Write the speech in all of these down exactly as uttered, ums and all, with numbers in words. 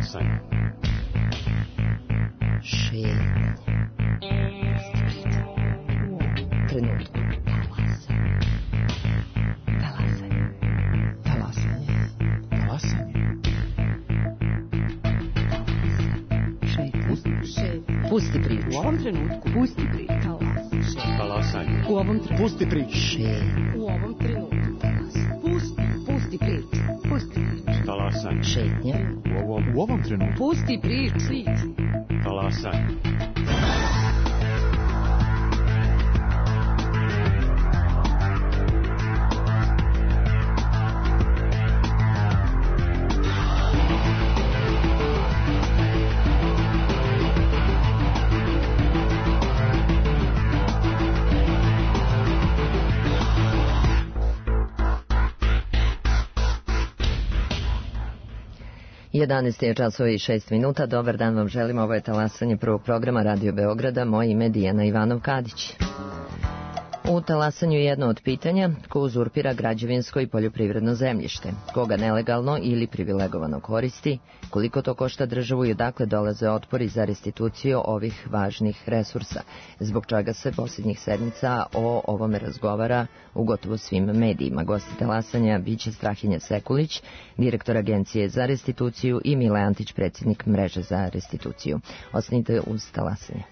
Talasanje. Šetnje. Trenutku. Talasanje. Talasanje. Talasanje. Šetnje. Pusti priču. U ovom trenutku. Pusti priču. Talasanje. U ovom trenutku. Pusti priču. Šetnje. U ovom trenutku. Pusti. Pusti priču. Pusti priču. Talasanje. Šetnje. U ovom, U ovom trenutku. Pusti priču. talasanje. jedanaest je časova i šest minuta. Dobar dan vam želim. Ovo je talasanje prvog programa Radio Beograda. Moje ime je Dijana Ivanov-Kadić. U talasanju je jedno od pitanja: ko uzurpira građevinsko i poljoprivredno zemljište, koga nelegalno ili privilegovano koristi, koliko to košta državu i odakle dolaze otpori za restituciju ovih važnih resursa, zbog čega se posljednjih sedmica o ovome razgovara u gotovo svim medijima. Gosti talasanja biće Strahinja Sekulić, direktor Agencije za restituciju, i Mile Antić, predsjednik Mreže za restituciju. Ostanite uz talasanje.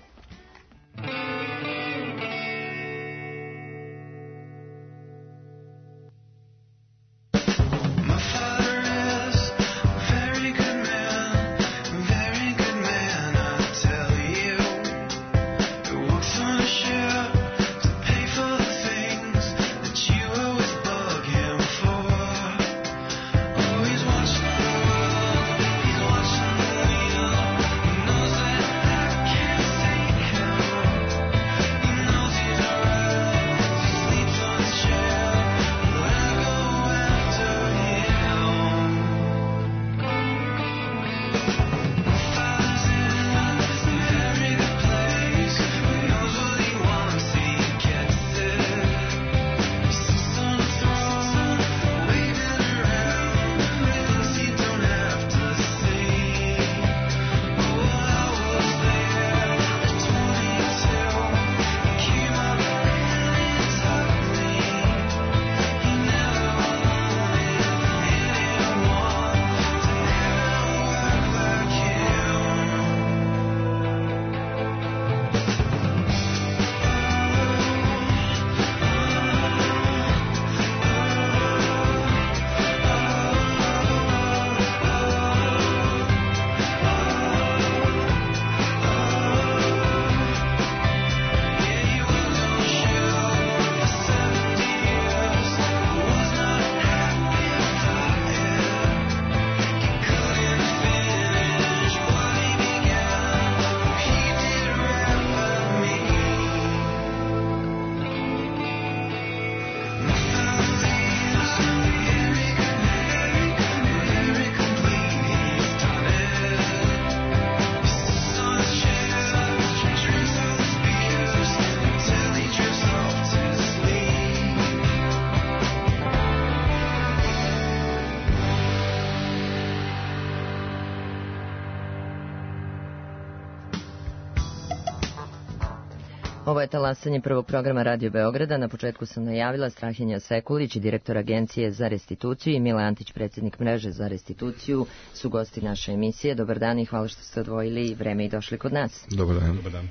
Ovo je talasanje prvog programa Radio Beograda. Na početku sam najavila Strahinja Sekulić, direktor Agencije za restituciju, i Mile Antić, predsjednik Mreže za restituciju, su gosti naše emisije. Dobar dan i hvala što ste odvojili vreme i došli kod nas. Dobar dan. Dobar dan.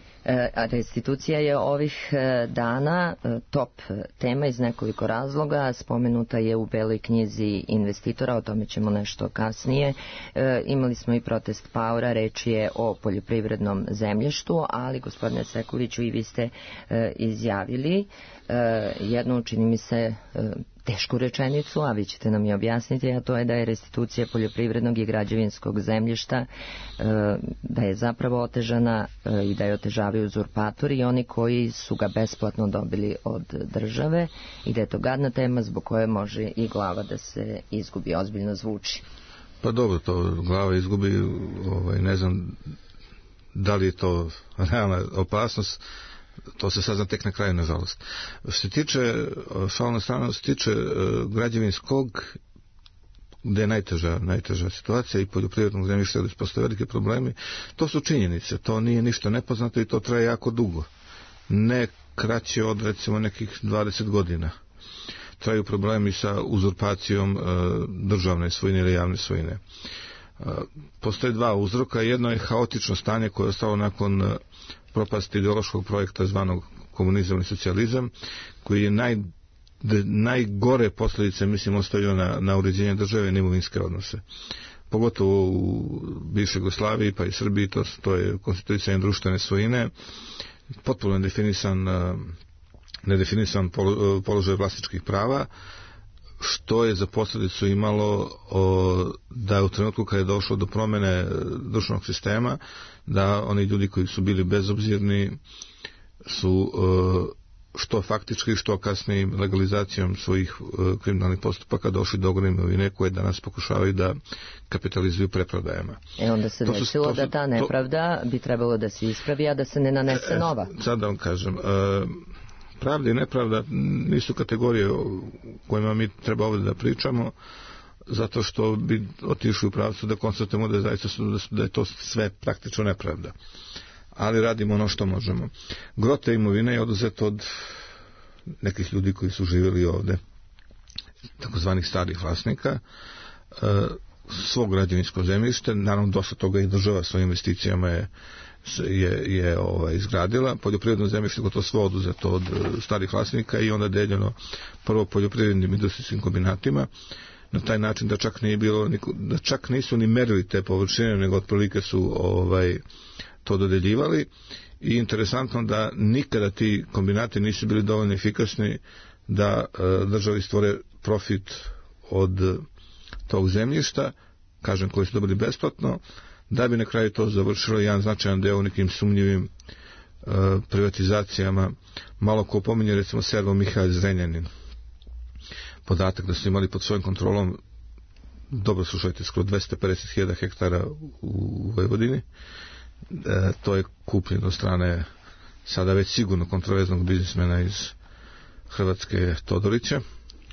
A restitucija je ovih dana top tema iz nekoliko razloga. Spomenuta je u Beloj knjizi investitora, o tome ćemo nešto kasnije. E, imali smo i protest paora, reč je o poljoprivrednom zemljištu, ali gospodine Sekuliću, i vi ste e, izjavili e, jednu, čini mi se, e, tešku rečenicu, a vi ćete nam je objasniti, a to je da je restitucija poljoprivrednog i građevinskog zemljišta, da je zapravo otežana i da je otežavaju uzurpatori i oni koji su ga besplatno dobili od države, i da je to gadna tema zbog koje može i glava da se izgubi. Ozbiljno zvuči. Pa dobro, to glava izgubi, ovaj, ne znam da li je to realna opasnost, to se sazna tek na kraju, nažalost. Što se tiče, šalna strana, što se tiče građevinskog, gde je najteža, najteža situacija i poljoprivrednog zemljišta, gde postoje velike problemi. To su činjenice, to nije ništa nepoznato i to traje jako dugo. Ne kraće od recimo nekih dvadeset godina. Traju problemi sa uzurpacijom e, državne svojine ili javne svojine. E, postoje dva uzroka. Jedno je haotično stanje koje je ostalo nakon e, propasti ideološkog projekta zvanog komunizam i socijalizam, koji je naj, de, najgore posljedice, mislim, ostavio na, na uređenje države i imovinske odnose. Pogotovo u bivšoj Jugoslaviji pa i Srbiji, to, to je konstituisanje društvene svojine, potpuno nedefinisan, nedefinisan položaj vlasničkih prava, što je za posljedicu imalo o, da u trenutku kada je došlo do promjene društvenog sistema, da oni ljudi koji su bili bezobzirni su što faktički, što kasnije legalizacijom svojih kriminalnih postupaka došli do ogromne imovine koje danas pokušavaju da kapitalizuju preprodajama. E onda se desilo su, da ta nepravda to, bi trebalo da se ispravi, a da se ne nanese nova. E, sad da vam kažem, e, pravda i nepravda nisu kategorije o kojima mi treba ovdje da pričamo, zato što bi otišli u pravcu da konstatujemo da je, zaista, da je to sve praktično nepravda. Ali radimo ono što možemo. Gro te imovine je oduzeto od nekih ljudi koji su živjeli ovde, takozvanih starih vlasnika, svog građevinskog zemljište, naravno dosta toga i država svojim investicijama je, je, je ovaj, izgradila. Poljoprivredno zemljište gotovo svo oduzeto od starih vlasnika i onda deljeno prvo poljoprivrednim industrijskim kombinatima, na taj način da čak nije bilo, da čak nisu ni merili te površine, nego otprilike su ovaj, to dodeljivali. I interesantno da nikada ti kombinati nisu bili dovoljno efikasni da e, državi stvore profit od tog zemljišta, kažem, koji su dobili besplatno, da bi na kraju to završilo jedan značajan deo u nekim sumnjivim e, privatizacijama. Malo ko pominje recimo Servo Mihalj Zrenjanin, podatak da su imali pod svojom kontrolom, dobro slušajte, skoro dvesta pedeset hiljada hektara u Vojvodini. E, to je kupljeno od strane sada već sigurno kontroverznog biznismena iz Hrvatske, Todorića,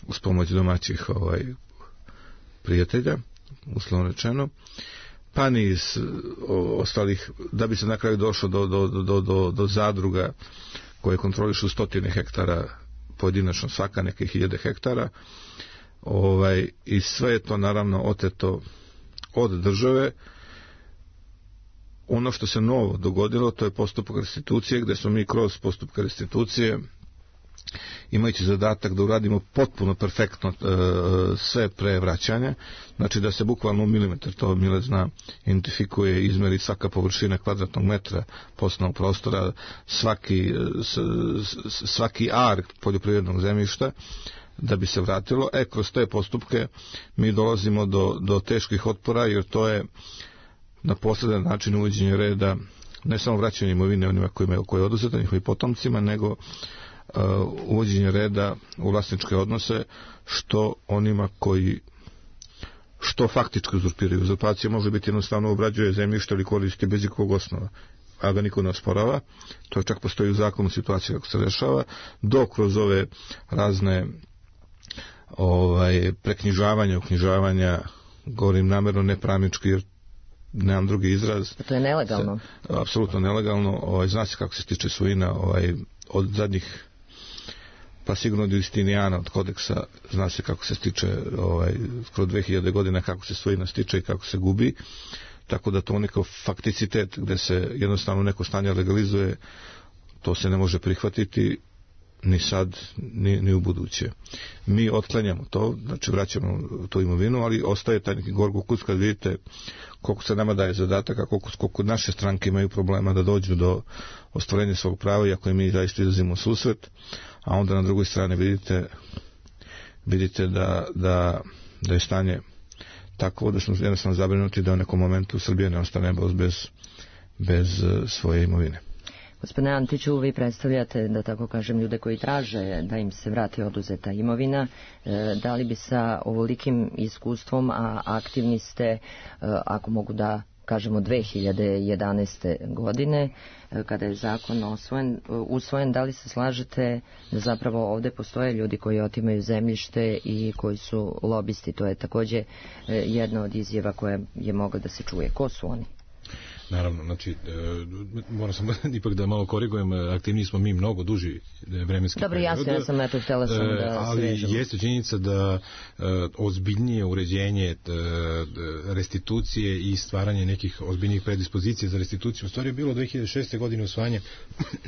uz pomoć domaćih ovaj, prijatelja, uslovno rečeno, pa ni iz o, ostalih, da bi se na kraju došlo do, do, do, do, do zadruga koje kontrolišu stotine hektara pojedinačno, svaka neke hiljade hektara, ovaj, i sve je to naravno oteto od države. Ono što se novo dogodilo, to je postupak restitucije, gde smo mi kroz postupak restitucije, imajući zadatak da uradimo potpuno perfektno e, sve pre vraćanja, znači da se bukvalno u milimetar, to Mile zna, identifikuje, izmeri svaka površina kvadratnog metra poslovnog prostora, svaki, s, s, svaki ar poljoprivrednog zemljišta, da bi se vratilo. E, kroz te postupke mi dolazimo do, do teških otpora, jer to je na posredan način uvođenje reda, ne samo vraćanje imovine onima kojima, koje je oduzeta njihovim potomcima, nego uh, uvođenje reda u vlasničke odnose, što onima koji što faktički uzurpiraju. Uzurpacija može biti jednostavno obrađuje zemljište ili koristi bez ikakvog osnova, a ga niko ne osporava. To čak postoji u zakonu situacija kako se rešava, dok kroz ove razne ovaj, preknjižavanja, uknjižavanja, govorim namjerno nepravnički, jer nemam drugi izraz. To je nelegalno. Se, apsolutno nelegalno. Ovaj, zna se kako se stiče svojina, ovaj, od zadnjih, pa sigurno od Justinijana, od kodeksa, zna se kako se stiče, ovaj, skoro dve hiljade godina kako se svojina stiče i kako se gubi. Tako da to neko fakticitet gde se jednostavno neko stanje legalizuje, to se ne može prihvatiti ni sad, ni, ni u buduće. Mi otklanjamo to, znači vraćamo tu imovinu, ali ostaje taj neki gorgo kus kad vidite koliko se nama daje zadataka, koliko, koliko naše stranke imaju problema da dođu do ostvarenja svog prava, iako i mi zaista izlazimo u susret, a onda na drugoj strani vidite vidite da, da, da je stanje tako da smo jednostavno zabrinuti da u nekom momentu Srbija ne ostane bez, bez svoje imovine. Gospodine Antiću, vi predstavljate, da tako kažem, ljude koji traže da im se vrati oduzeta imovina. Da li bi sa ovolikim iskustvom, a aktivni ste, ako mogu da kažemo dve hiljade jedanaeste. godine, kada je zakon osvojen, usvojen, da li se slažete da zapravo ovde postoje ljudi koji otimaju zemljište i koji su lobisti? To je takođe jedna od izjava koja je mogla da se čuje. Ko su oni? Naravno, znači, e, moram sam ipak da malo korigujem, aktivni smo mi mnogo duži vremenski Dobro, period. jasno, ja sam eto htjela sam da se ali vežemo. jeste činjenica da e, ozbiljnije uređenje e, restitucije i stvaranje nekih ozbiljnijih predispozicija za restituciju u stvari je bilo dve hiljade šeste. godine usvajanje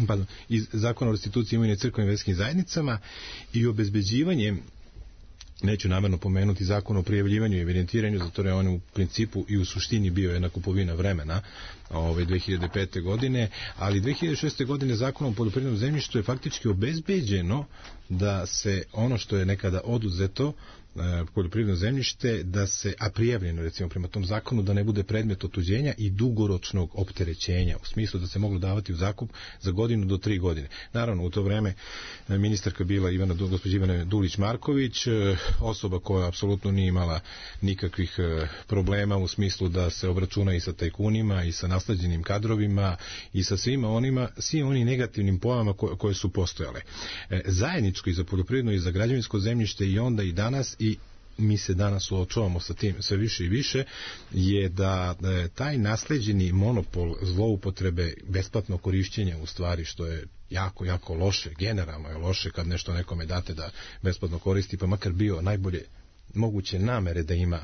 pardon, iz zakona o restituciji imovine crkvenim i verskim zajednicama i obezbeđivanje, neću namerno pomenuti zakon o prijavljivanju i evidentiranju, zato je on u principu i u suštini bio jedna kupovina vremena ove dve hiljade pete. godine, ali dve hiljade šeste. godine zakonom o poljoprivrednom zemljištu je faktički obezbeđeno da se ono što je nekada oduzeto poljoprivredno zemljište, da se, a prijavljeno recimo prema tom zakonu, da ne bude predmet otuđenja i dugoročnog opterećenja, u smislu da se moglo davati u zakup za godinu do tri godine. Naravno, u to vreme ministarka bila Ivana, gospođa Ivana Dulić-Marković, osoba koja apsolutno nije imala nikakvih problema u smislu da se obračuna i sa tajkunima i sa nasleđenim kadrovima i sa svima onima, svim onim negativnim pojavama koje, koje su postojale. Zajedničko i za poljoprivredno i za građevinsko zemljište i onda i danas, i mi se danas suočavamo sa tim sve više i više, je da e, taj nasleđeni monopol zloupotrebe besplatnog korišćenja, u stvari, što je jako, jako loše, generalno je loše kad nešto nekome date da besplatno koristi, pa makar bio najbolje moguće namere da ima,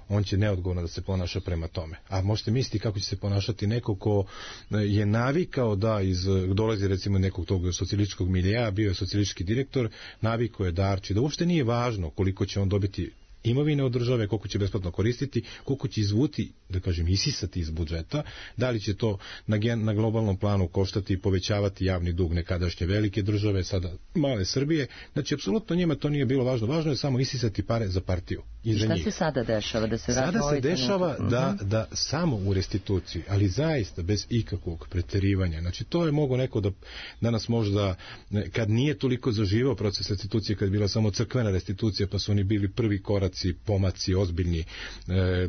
on će neodgovorno da se ponaša prema tome. A možete misliti kako će se ponašati neko ko je navikao da iz, dolazi recimo nekog tog socijalističkog milija, bio je socijalistički direktor, navikao je da arči, da uopšte nije važno koliko će on dobiti imovine od države, koliko će besplatno koristiti, koliko će izvuti, da kažem, isisati iz budžeta, da li će to na, gen, na globalnom planu koštati i povećavati javni dug nekadašnje velike države, sada male Srbije. Znači, apsolutno njima to nije bilo važno. Važno je samo isisati pare za partiju. I, I šta njih. se sada dešava? Da se sada se dešava da, da samo u restituciji, ali zaista bez ikakvog preterivanja. Znači, to je mogo neko da danas možda, kad nije toliko zaživao proces restitucije, kad je bila samo crkvena restitucija, pa su oni bili prvi koraci, pomaci ozbiljni e,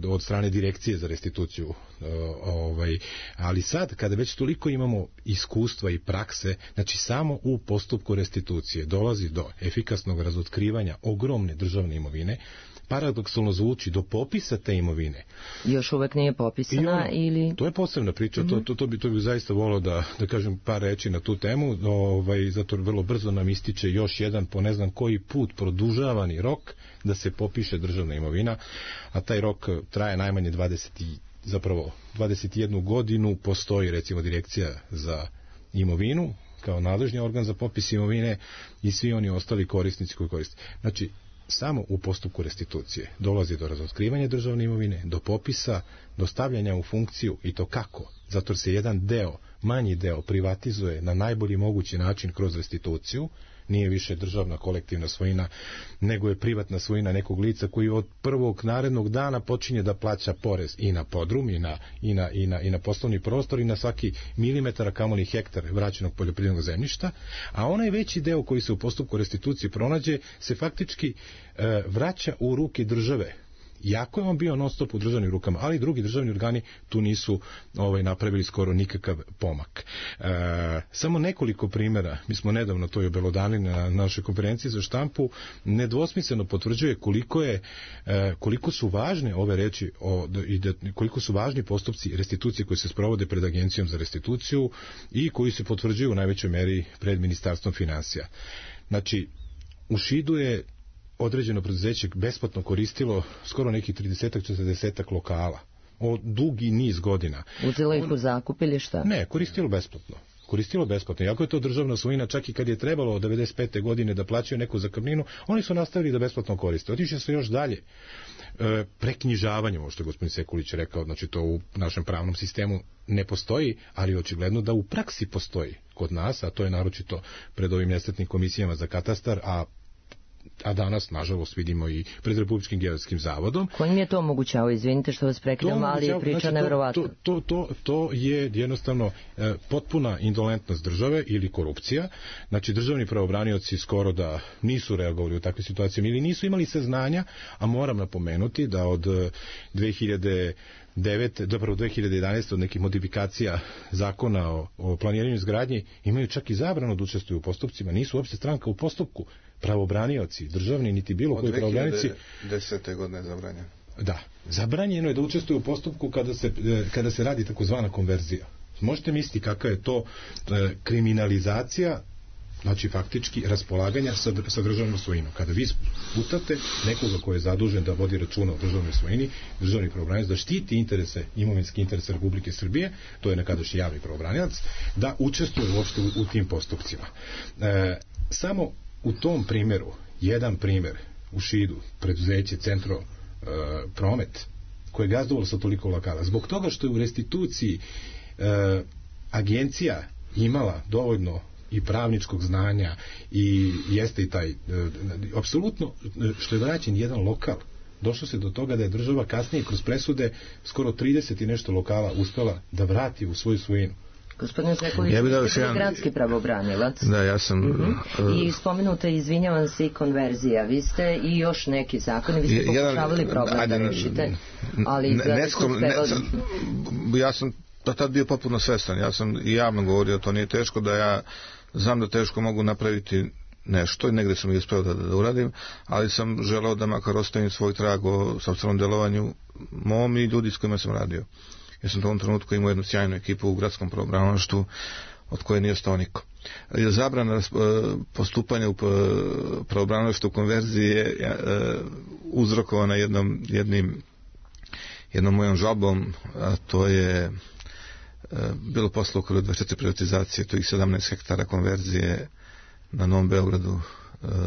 od strane direkcije za restituciju. E, ovaj, ali sad, kada već toliko imamo iskustva i prakse, znači samo u postupku restitucije dolazi do efikasnog razotkrivanja ogromne državne imovine, paradoksalno zvuči, do popisa te imovine. Još uvek nije popisana ono, ili... To je posebna priča, mm-hmm. to, to, to, bi, to bi zaista volao da, da kažem par reči na tu temu, ovaj, zato vrlo brzo nam ističe još jedan, po ne znam koji put, produžavani rok da se popiše državna imovina, a taj rok traje najmanje dvadeset, zapravo dvadeset jednu godinu, postoji recimo direkcija za imovinu kao nadležni organ za popis imovine i svi oni ostali korisnici koji koriste. Znači, samo u postupku restitucije dolazi do razotkrivanja državne imovine, do popisa, do stavljanja u funkciju, i to kako? Zato se jedan deo, manji deo, privatizuje na najbolji mogući način kroz restituciju, nije više državna kolektivna svojina, nego je privatna svojina nekog lica koji od prvog narednog dana počinje da plaća porez i na podrum, i na, i na, i na, i na poslovni prostor, i na svaki milimetar, kamoli hektar vraćenog poljoprivrednog zemljišta, a onaj veći deo koji se u postupku restitucije pronađe se faktički e, vraća u ruke države. Jako je on bio non stop u državnim rukama, ali drugi državni organi tu nisu ovaj, napravili skoro nikakav pomak. E, samo nekoliko primjera, mi smo nedavno to i obelodanili na našoj konferenciji za štampu, nedvosmisleno potvrđuje koliko je, e, koliko su važne ove reči o, i da, koliko su važni postupci restitucije koji se sprovode pred Agencijom za restituciju i koji se potvrđuju u najvećoj meri pred Ministarstvom finansija. Znači, u Šidu je određeno preduzeće besplatno koristilo skoro nekih trideset četrdeset lokala od dugi niz godina. Uzelo ih u zakup ili šta? Ne, koristilo besplatno. Koristilo besplatno. Iako je to državna svojina, čak i kad je trebalo od devedeset pete godine da plaćaju neku zakupninu, oni su nastavili da besplatno koriste. Otišli su još dalje. E, preknjižavanje, ovo što je gospodin Sekulić rekao, znači to u našem pravnom sistemu ne postoji, ali očigledno da u praksi postoji kod nas, a to je naročito pred ovim nesretnim komisijama za katastar, a a danas, nažalost, vidimo i pred Republičkim geodetskim zavodom. Ko im je to omogućavao? Izvinite što vas prekidam, ali je priča znači, nevjerovatna. To, to, to, to je jednostavno e, potpuna indolentnost države ili korupcija. Znači, državni pravobranioci skoro da nisu reagovali u takve situacije ili nisu imali saznanja, a moram napomenuti da od dve hiljade devete, dobro dve hiljade jedanaeste od nekih modifikacija zakona o, o planiranju izgradnji imaju čak i zabranu da učestvuju u postupcima, nisu uopšte stranka u postupku. Pravobranioci, državni, niti bilo koji pravobranioci. Od dve hiljade desete godine zabranjeno. Da, zabranjeno je da učestvuju u postupku kada se, kada se radi takozvana konverzija. Možete misliti kakva je to e, kriminalizacija, znači faktički raspolaganja sa, sa državnom svojinom. Kada vi putate nekoga koji je zadužen da vodi računa o državnoj svojini, državni pravobranilac da štiti interese, imovinski interese Republike Srbije, to je nekadašnji javni pravobranilac, da učestvuje uopšte u, u tim postupcima. E, samo u tom primjeru, jedan primjer u Šidu, preduzeće Centro e, Promet, koje je gazdovalo sa toliko lokala, zbog toga što je u restituciji e, agencija imala dovoljno i pravničkog znanja i jeste i taj e, apsolutno što je vraćen jedan lokal, došlo se do toga da je država kasnije kroz presude skoro trideset i nešto lokala uspela da vrati u svoju svojinu. Gospodine Sekulić, ja vi ste jedan... gradski pravobranilac. Da, ja sam... Uh-huh. I spomenuta, izvinjavam se, i konverzija. Vi ste i još neki zakoni, vi ste pokušavali problem ajde, da rešite, ali ne, neskom, ne, sam, ja sam tad bio potpuno svestan. Ja sam i javno govorio, to nije teško, da ja znam da teško mogu napraviti nešto i negde sam i uspeo da, da uradim, ali sam želeo da makar ostavim svoj trag o sopstvenom delovanju mom i ljudi s kojima sam radio. Ja sam u tom trenutku imao jednu sjajnu ekipu u gradskom pravobranilaštvu od koje nije ostao niko. Zabrana postupanja u pravobranilaštvu konverzije je uzrokovana jednom, jednim, jednom mojom žalbom, a to je bilo posle okolo dvadeset četiri privatizacije, to ih sedamnaest hektara konverzije na Novom Beogradu,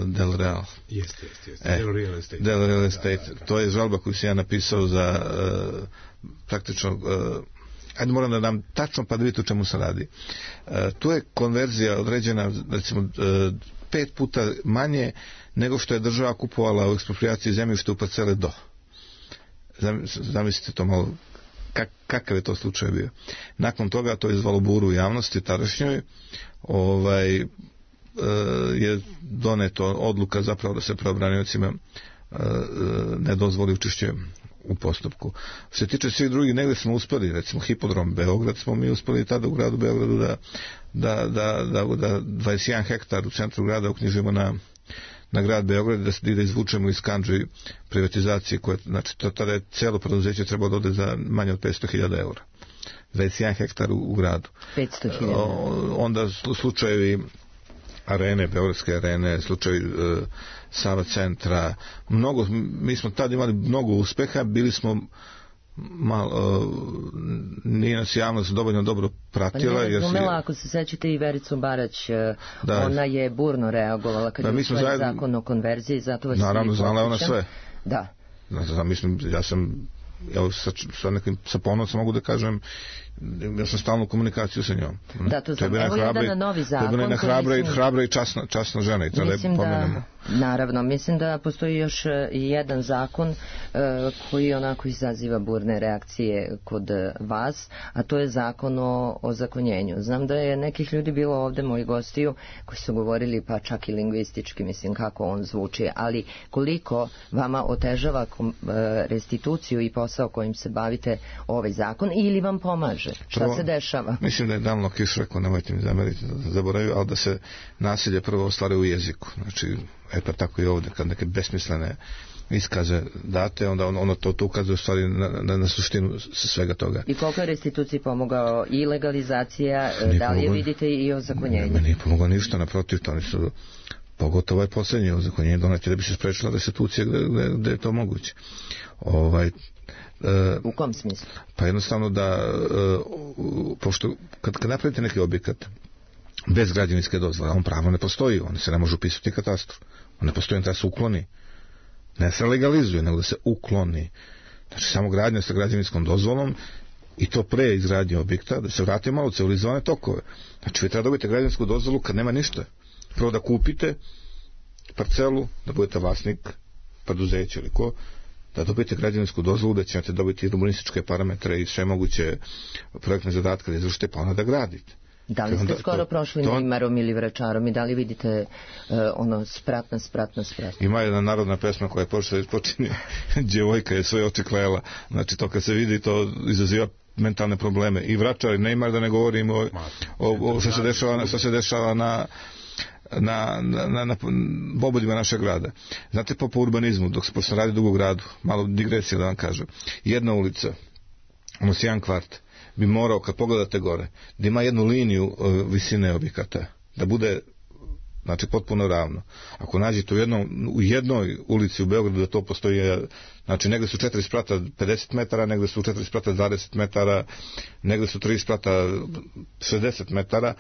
Del Real. Jeste, jeste, jeste. Del Real Estate. Del Real Estate. Da, da, da. To je žalba koju sam ja napisao za uh, praktično, uh, ajde moram da dam tačno pa da vidite o čemu se radi. Uh, tu je konverzija određena, recimo, uh, pet puta manje nego što je država kupovala u eksproprijaciji zemljišta u parcele do. Zamislite to malo, kak, kakav je to slučaj bio. Nakon toga to je izvalo buru u javnosti tadašnjoj, ovaj, je doneto odluka zapravo da se pravobraniocima ne dozvoli učešće u postupku. Što se tiče svih drugih, negde smo uspeli, recimo Hipodrom Beograd smo mi uspeli tada u gradu Beogradu da, da, da, da, da dvadeset jedan hektar u centru grada uknjižimo na, na grad Beograd, da se da izvučemo iz kandži privatizacije, koje, znači to, tada je celo preduzeće trebalo da ode za manje od petsto hiljada eura. dvadeset jedan hektar u, u gradu. petsto hiljada. Onda slučajevi arene, Beogradske arene, slučaj e, Sava centra, mnogo, mi smo tad imali mnogo uspeha, bili smo malo, e, nije nas javnost dovoljno dobro pratila. Pa nije razumela, ako se sećate i Vericu Barać, da, ona je burno reagovala kad da, je usvojen zajedno, zakon o konverziji, zato vas naravno, znala ona sve. Da. Znači, mislim, ja sam evo, sa, sa, nekim, sa ponosom mogu da kažem, ja sam stalno u komunikaciju sa njom. Da, to sam, evo jedan novi zakon. To je bila hrabra, mislim, hrabra i časna, časna žena i treba da pomenemo. Naravno, mislim da postoji još jedan zakon uh, koji onako izaziva burne reakcije kod vas, a to je zakon o ozakonjenju. Znam da je nekih ljudi bilo ovde, moji gostiju, koji su govorili pa čak i lingvistički, mislim kako on zvuči, ali koliko vama otežava kom, uh, restituciju i posao kojim se bavite ovaj zakon ili vam pomaže? Šta prvo, se dešava? Mislim da je davno Kiš rekao, nemojte mi zameriti da zaboravim, ali da se nasilje prvo ostvaruje u jeziku. Znači, e pa tako i ovdje, kad neke besmislene iskaze date, onda ono to, to ukazuje u stvari na, na, na suštinu svega toga. I koliko je restituciji pomogao i legalizacija, nije da li je pomogao, vidite i ozakonjenje? Ne, nije pomogao ništa, naprotiv, to oni su, pogotovo je posljednje ozakonjenje doneti da bi se sprečila restitucija gde, gde, gde je to moguće. Ovaj, Uh, u kom smislu? Pa jednostavno da uh, pošto kad, kad napravite neki objekat bez građevinske dozvole, on pravno ne postoji, on se ne može upisati u katastru, on ne postoji, on treba se ukloni, ne se legalizuje, nego da se ukloni. Znači samo gradnja sa građevinskom dozvolom i to pre izgradnje objekta, da se vrati malo u civilizovane tokove. Znači vi treba dobiti građevinsku dozvolu kad nema ništa, prvo da kupite parcelu, da budete vlasnik preduzeća ili ko, da dobijete građevinsku dozvolu, da ćete dobiti urbanističke parametre i sve moguće projektne zadatke da izvršite, pa onda da gradite. Da li ste onda, skoro to, prošli to... Nijmarom ili Vračarom i da li vidite uh, ono spratna, spratna, spratna? Ima jedna narodna pesma koja je počela počinje djevojka je svoje oči klela. Znači to kad se vidi to izaziva mentalne probleme. I Vračar i Nijmar, da ne govorimo o, o, o što se dešava, što se dešava na na, na, na, na obodima našeg grada. Znate, po, po urbanizmu, dok se pošto radi dugo u gradu, malo digresija da vam kažem, jedna ulica, ono jedan kvart, bi morao, kad pogledate gore, da ima jednu liniju uh, visine objekata, da bude, znači, potpuno ravno. Ako nađete u, jednom, u jednoj ulici u Beogradu da to postoji, znači, negde su četiri sprata pedeset metara, negde su četiri sprata dvadeset metara, negde su tri sprata šezdeset metara,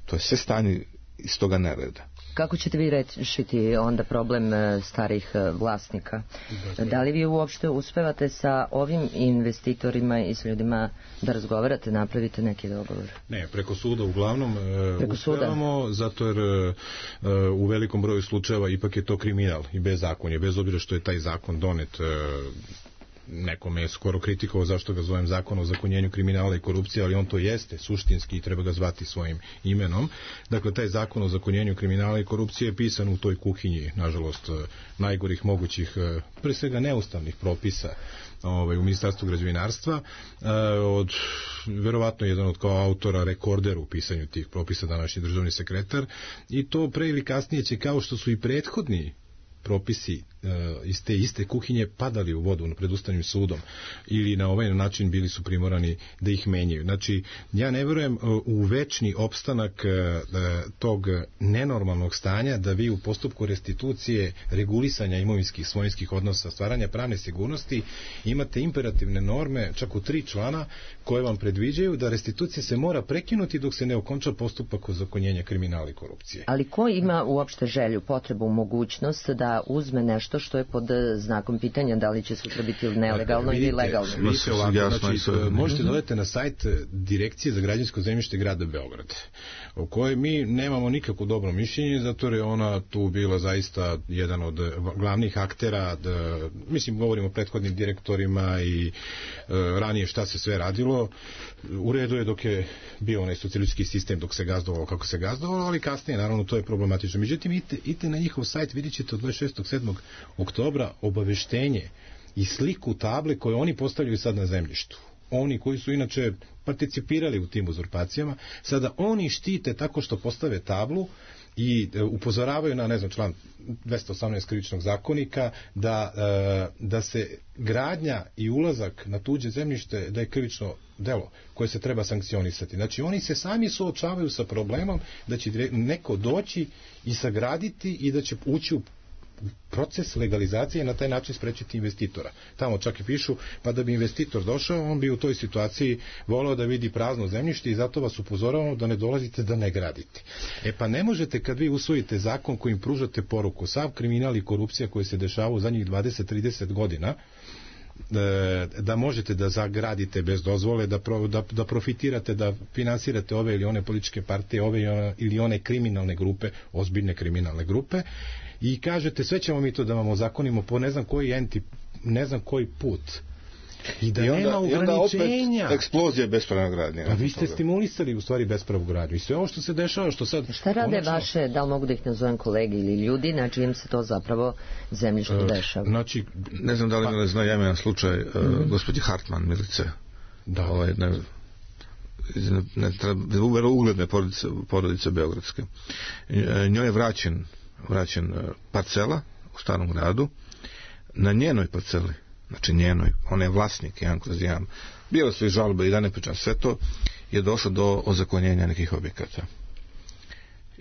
to je sve stanje iz toga nereda. Kako ćete vi rešiti onda problem starih vlasnika? Da li vi uopšte uspevate sa ovim investitorima i s ljudima da razgovarate, napravite neki dogovor? Ne, preko suda uglavnom preko uspevamo, suda? Zato jer u velikom broju slučajeva ipak je to kriminal i bezakonje, bez obzira što je taj zakon donet. Nekome je skoro kritikovao zašto ga zovem zakon o zakonjenju kriminala i korupcije, ali on to jeste suštinski i treba ga zvati svojim imenom. Dakle, taj zakon o zakonjenju kriminala i korupcije je pisan u toj kuhinji, nažalost, najgorih mogućih, pre svega neustavnih propisa ovaj, u Ministarstvu građevinarstva, od, verovatno jedan od kao autora rekorder u pisanju tih propisa, današnji državni sekretar, i to pre ili kasnije će, kao što su i prethodni propisi uh, iz te iste kuhinje padali u vodu pred Ustavnim sudom ili na ovaj način bili su primorani da ih menjaju. Znači, ja ne verujem uh, u večni opstanak uh, tog nenormalnog stanja da vi u postupku restitucije, regulisanja imovinskih svojinskih odnosa, stvaranja pravne sigurnosti imate imperativne norme, čak u tri člana, koje vam predviđaju da restitucija se mora prekinuti dok se ne okonča postupak ozakonjenja kriminala i korupcije. Ali ko ima uopšte želju, potrebu, mogućnost da uzme nešto što je pod znakom pitanja da li će sutra biti nelegalno vidite, ili legalno? Vidite ovako, znači, možete dodati na sajt Direkcije za građevinsko zemljište grada Beograda, o kojoj mi nemamo nikako dobro mišljenje, zato je ona tu bila zaista jedan od glavnih aktera, da, mislim, govorimo o prethodnim direktorima i e, ranije šta se sve radilo. U redu je dok je bio onaj socijalistički sistem, dok se gazdovalo kako se gazdovalo, ali kasnije, naravno, to je problematično. Međutim, idite, idite na njihov sajt, vidjet ćete od dvadeset šestog sedmog oktobra obaveštenje i sliku table koje oni postavljaju sad na zemljištu. Oni koji su inače participirali u tim uzurpacijama, sada oni štite tako što postave tablu i upozoravaju na, ne znam, član dvesta osamnaest krivičnog zakonika da, da se gradnja i ulazak na tuđe zemljište da je krivično delo koje se treba sankcionisati. Znači, oni se sami suočavaju sa problemom da će neko doći i sagraditi i da će ući u proces legalizacije i na taj način sprečiti investitora. Tamo čak i pišu, pa da bi investitor došao, on bi u toj situaciji voleo da vidi prazno zemljište i zato vas upozoravamo da ne dolazite da ne gradite. E pa ne možete, kad vi usvojite zakon kojim pružate poruku, sav kriminal i korupcija koji se dešava u zadnjih dvadeset do trideset godina, da možete da zagradite bez dozvole, da, pro, da, da profitirate, da finansirate ove ili one političke partije, ove ili one kriminalne grupe, ozbiljne kriminalne grupe, i kažete sve ćemo mi to da vam ozakonimo po ne znam koji enti, ne znam koji put. I da I onda, nema ograničenja. I onda eksplozija bespravne gradnje. Pa vi ste stimulisali u stvari bespravnu gradnju. I sve ovo što se dešava, što sad... Šta rade konačno... vaše, da li mogu da ih nazovem kolegi ili ljudi, na čijem se to zapravo zemljište uh, dešava? Znači, ne znam da li pa... ne zna, ja imam slučaj uh, mm-hmm. gospođe Hartman, Milice. Da. Ovaj, ne, ne, ne, ugledne porodice, porodice beogradske. Njoj je vraćen, vraćen parcela u Starom gradu. Na njenoj parceli, znači njenoj, ona je vlasnik jedan kroz jedan, bilo su i žalbe i da ne pričam sve to, je došlo do ozakonjenja nekih objekata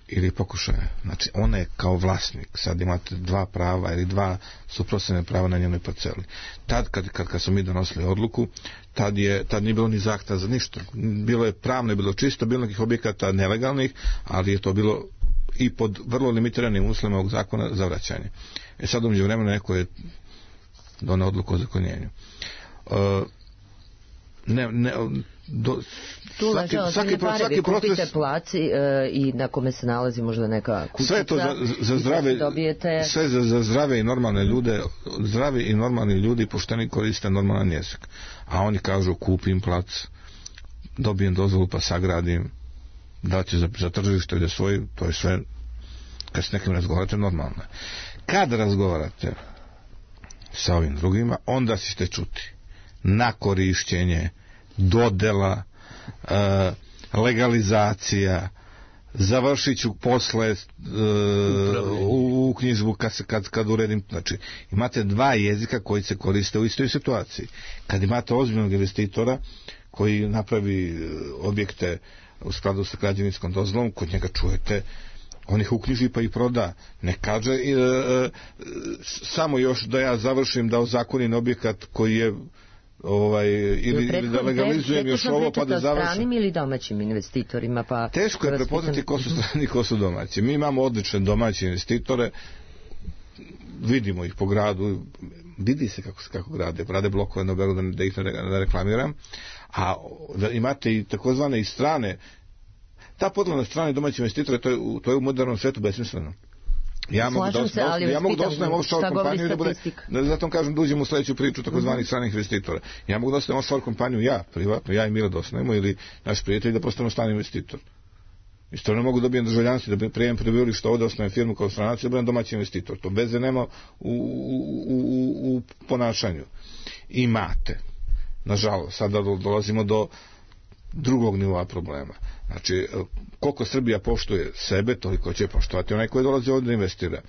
ili pokušaja. Znači ona je kao vlasnik, sad imate dva prava ili dva suprotstavljena prava na njenoj parceli. Tad kad, kad, kad smo mi donosili odluku, tad, je, tad nije bilo ni zahteva za ništa. Bilo je pravno, bilo čisto, bilo nekih objekata nelegalnih, ali je to bilo i pod vrlo limitiranim uslovima ovog zakona za vraćanje. E sad umeđu vremena neko je doneo odluku o zakonjenju. Uh, ne, ne, do, tu svaki, leže svaki, pare, svaki vi proces, kupite plac i, e, i na kome se nalazi možda neka kućica. Sve to za, za zdrave, dobijete... sve za, za zdrave i normalne ljude, zdravi i normalni ljudi pošteni koriste normalan jezik. A oni kažu kupim plac, dobijem dozvolu pa sagradim, da će za, za tržište ili svoj, to je sve, kad s nekim razgovarate, normalno. Kad razgovarate sa ovim drugima, onda ćete čuti na korišćenje, dodela, e, legalizacija, završit ću posle e, u, u knjižbu kad, se, kad, kad uredim. Znači, imate dva jezika koji se koriste u istoj situaciji. Kad imate ozbiljnog investitora koji napravi objekte u skladu sa građevinskom dozvolom, kod njega čujete, on ih uknjiži pa ih proda. Ne kaže e, e, samo još da ja završim, da ozakonim objekat koji je ovaj, ili, ili da legalizujem još ovo pa da završim. Stranim ili domaćim investitorima? Pa teško je prepoznati ko su strani, ko su domaći. Mi imamo odlične domaće investitore, vidimo ih po gradu, vidi se kako, kako grade, rade blokove na Beogradu, da ih ne reklamiram, a da imate i takozvane i strane. Ta podela na strane domaće investitore, to je, to je u modernom svetu besmisleno. Ja mogu da, se, ali ja mogu da osnovim offshore kompaniju da bude, da, zato kažem da uđemo u sledeću priču takozvanih mm-hmm. stranih investitora. Ja mogu da osnovim offshore kompaniju, ja, privatno, ja i Milo da osnovimo, ili naš prijatelj da postanemo strani investitor. Isto ne mogu da dobijem državljanstvo, da prijem prebivalište ovde, osnovim firmu kao stranac, da budem domaći investitor. To veze nema u, u, u, u ponašanju. Imate, nažalost, sada dolazimo do drugog nivoa problema. Znači, koliko Srbija poštuje sebe, toliko će poštovati onaj koji dolazi ovdje da investira.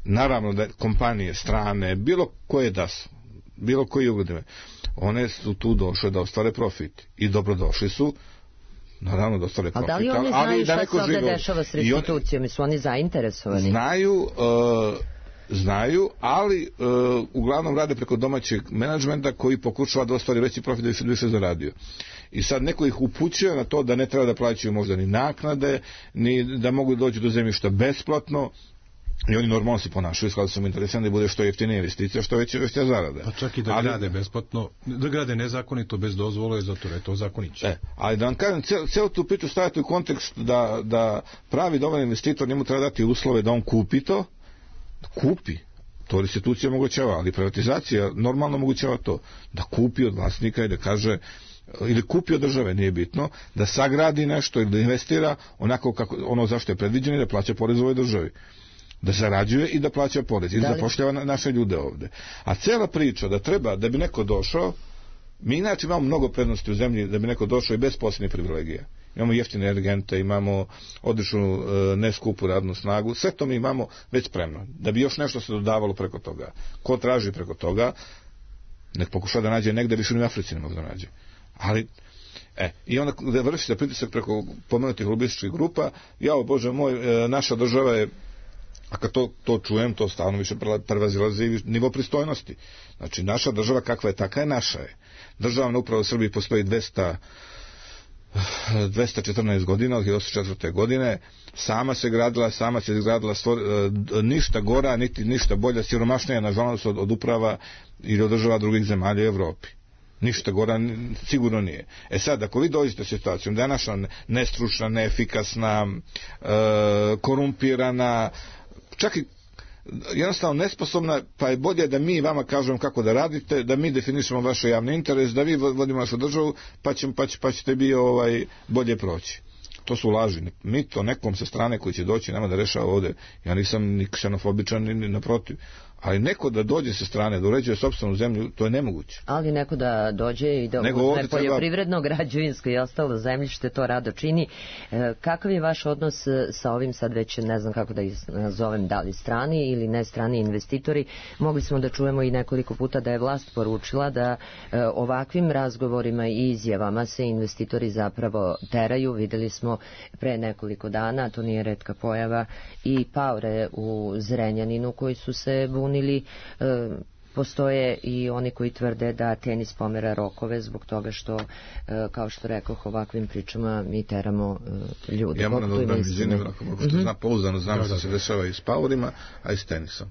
Naravno da kompanije, strane, bilo koje da su, bilo koji ugledime, one su tu došle da ostvare profit. I dobrodošli su, naravno da ostvare profit. A da li oni znaju šta se ovdje dešava s restitucijom? Su oni zainteresovani? Znaju, uh, znaju, ali uh, uglavnom rade preko domaćeg menadžmenta koji pokušava da ostvari veći profit da bi se više zaradio. I sad neko ih upućuje na to da ne treba da plaćaju možda ni naknade, ni da mogu doći do zemljišta besplatno, i oni normalno se ponašaju, skladno sam interesan da bude što jeftinija investicija, što veća veća zarada. Pa čak i da ali, grade besplatno, da grade nezakonito, bez dozvole, zato je to zakoniće. E, ali da vam kažem, celu tu priču stavite u kontekst da, da pravi dobar investitor, njemu treba dati uslove da on kupi to, kupi, to restitucija omogućava, ali privatizacija normalno omogućava to, da kupi od vlasnika i da kaže, ili kupi od države, nije bitno, da sagradi nešto ili da investira onako kako, ono zašto je predviđeno i da plaća porez u ovoj državi. Da zarađuje i da plaća porez i da zapošljava naše ljude ovde. A cela priča da treba, da bi neko došao, mi inače imamo mnogo prednosti u zemlji da bi neko došao i bez posebnih privilegija. Imamo jeftine energente, imamo odličnu e, neskupu radnu snagu, sve to mi imamo već spremno. Da bi još nešto se dodavalo preko toga. Ko traži preko toga, nek pokuša da nađe negde, više ni u Africi ne mogu da nađe. Ali, e, i onda da vrši se pritisak preko pomenutih lobističkih grupa, jao Bože moj, e, naša država je, a kad to, to čujem, to stalno više prevazilazi nivo pristojnosti. Znači, naša država kakva je, taka je, naša je. Državna uprava u Srbiji postoji dvesta, dvesta četrnaest godina, od hiljadu osamsto četvrte. godine, sama se gradila, sama se izgradila, stvor, ništa gora, niti ništa bolja, siromašnija, nažalost, od, od uprava ili od država drugih zemalja u Evropi. Ništa gora sigurno nije. E sad, ako vi dođete u situaciju da je naša nestručna, neefikasna, e, korumpirana, čak i jednostavno nesposobna, pa je bolje da mi vama kažemo kako da radite, da mi definišemo vaš javni interes, da vi vodimo našu državu, pa, će, pa, će, pa ćete bi ovaj, bolje proći. To su laži. Mi to nekom sa strane koji će doći nama da rešava ovde. Ja nisam ni ksenofobičan, ni, ni naprotiv. Ali neko da dođe sa strane, da uređuje sopstvenu zemlju, to je nemoguće. Ali neko da dođe i da uzme poljoprivredno, treba... građevinsko i ostalo zemljište, to rado čini. E, kakav je vaš odnos sa ovim, sad već ne znam kako da ih nazovem, da li strani ili ne strani investitori? Mogli smo da čujemo i nekoliko puta da je vlast poručila da e, ovakvim razgovorima i izjavama se investitori zapravo teraju. Videli smo pre nekoliko dana, to nije retka pojava, i paore u Zrenjaninu koji su se bunili. Ili e, postoje i oni koji tvrde da tenis pomera rokove zbog toga što, e, kao što rekoh, ovakvim pričama mi teramo e, ljude. Ja moram da odam izvinim, ako mogu što znam, pouzdano znam da, što da, se dešava i s paurima, a i s tenisom.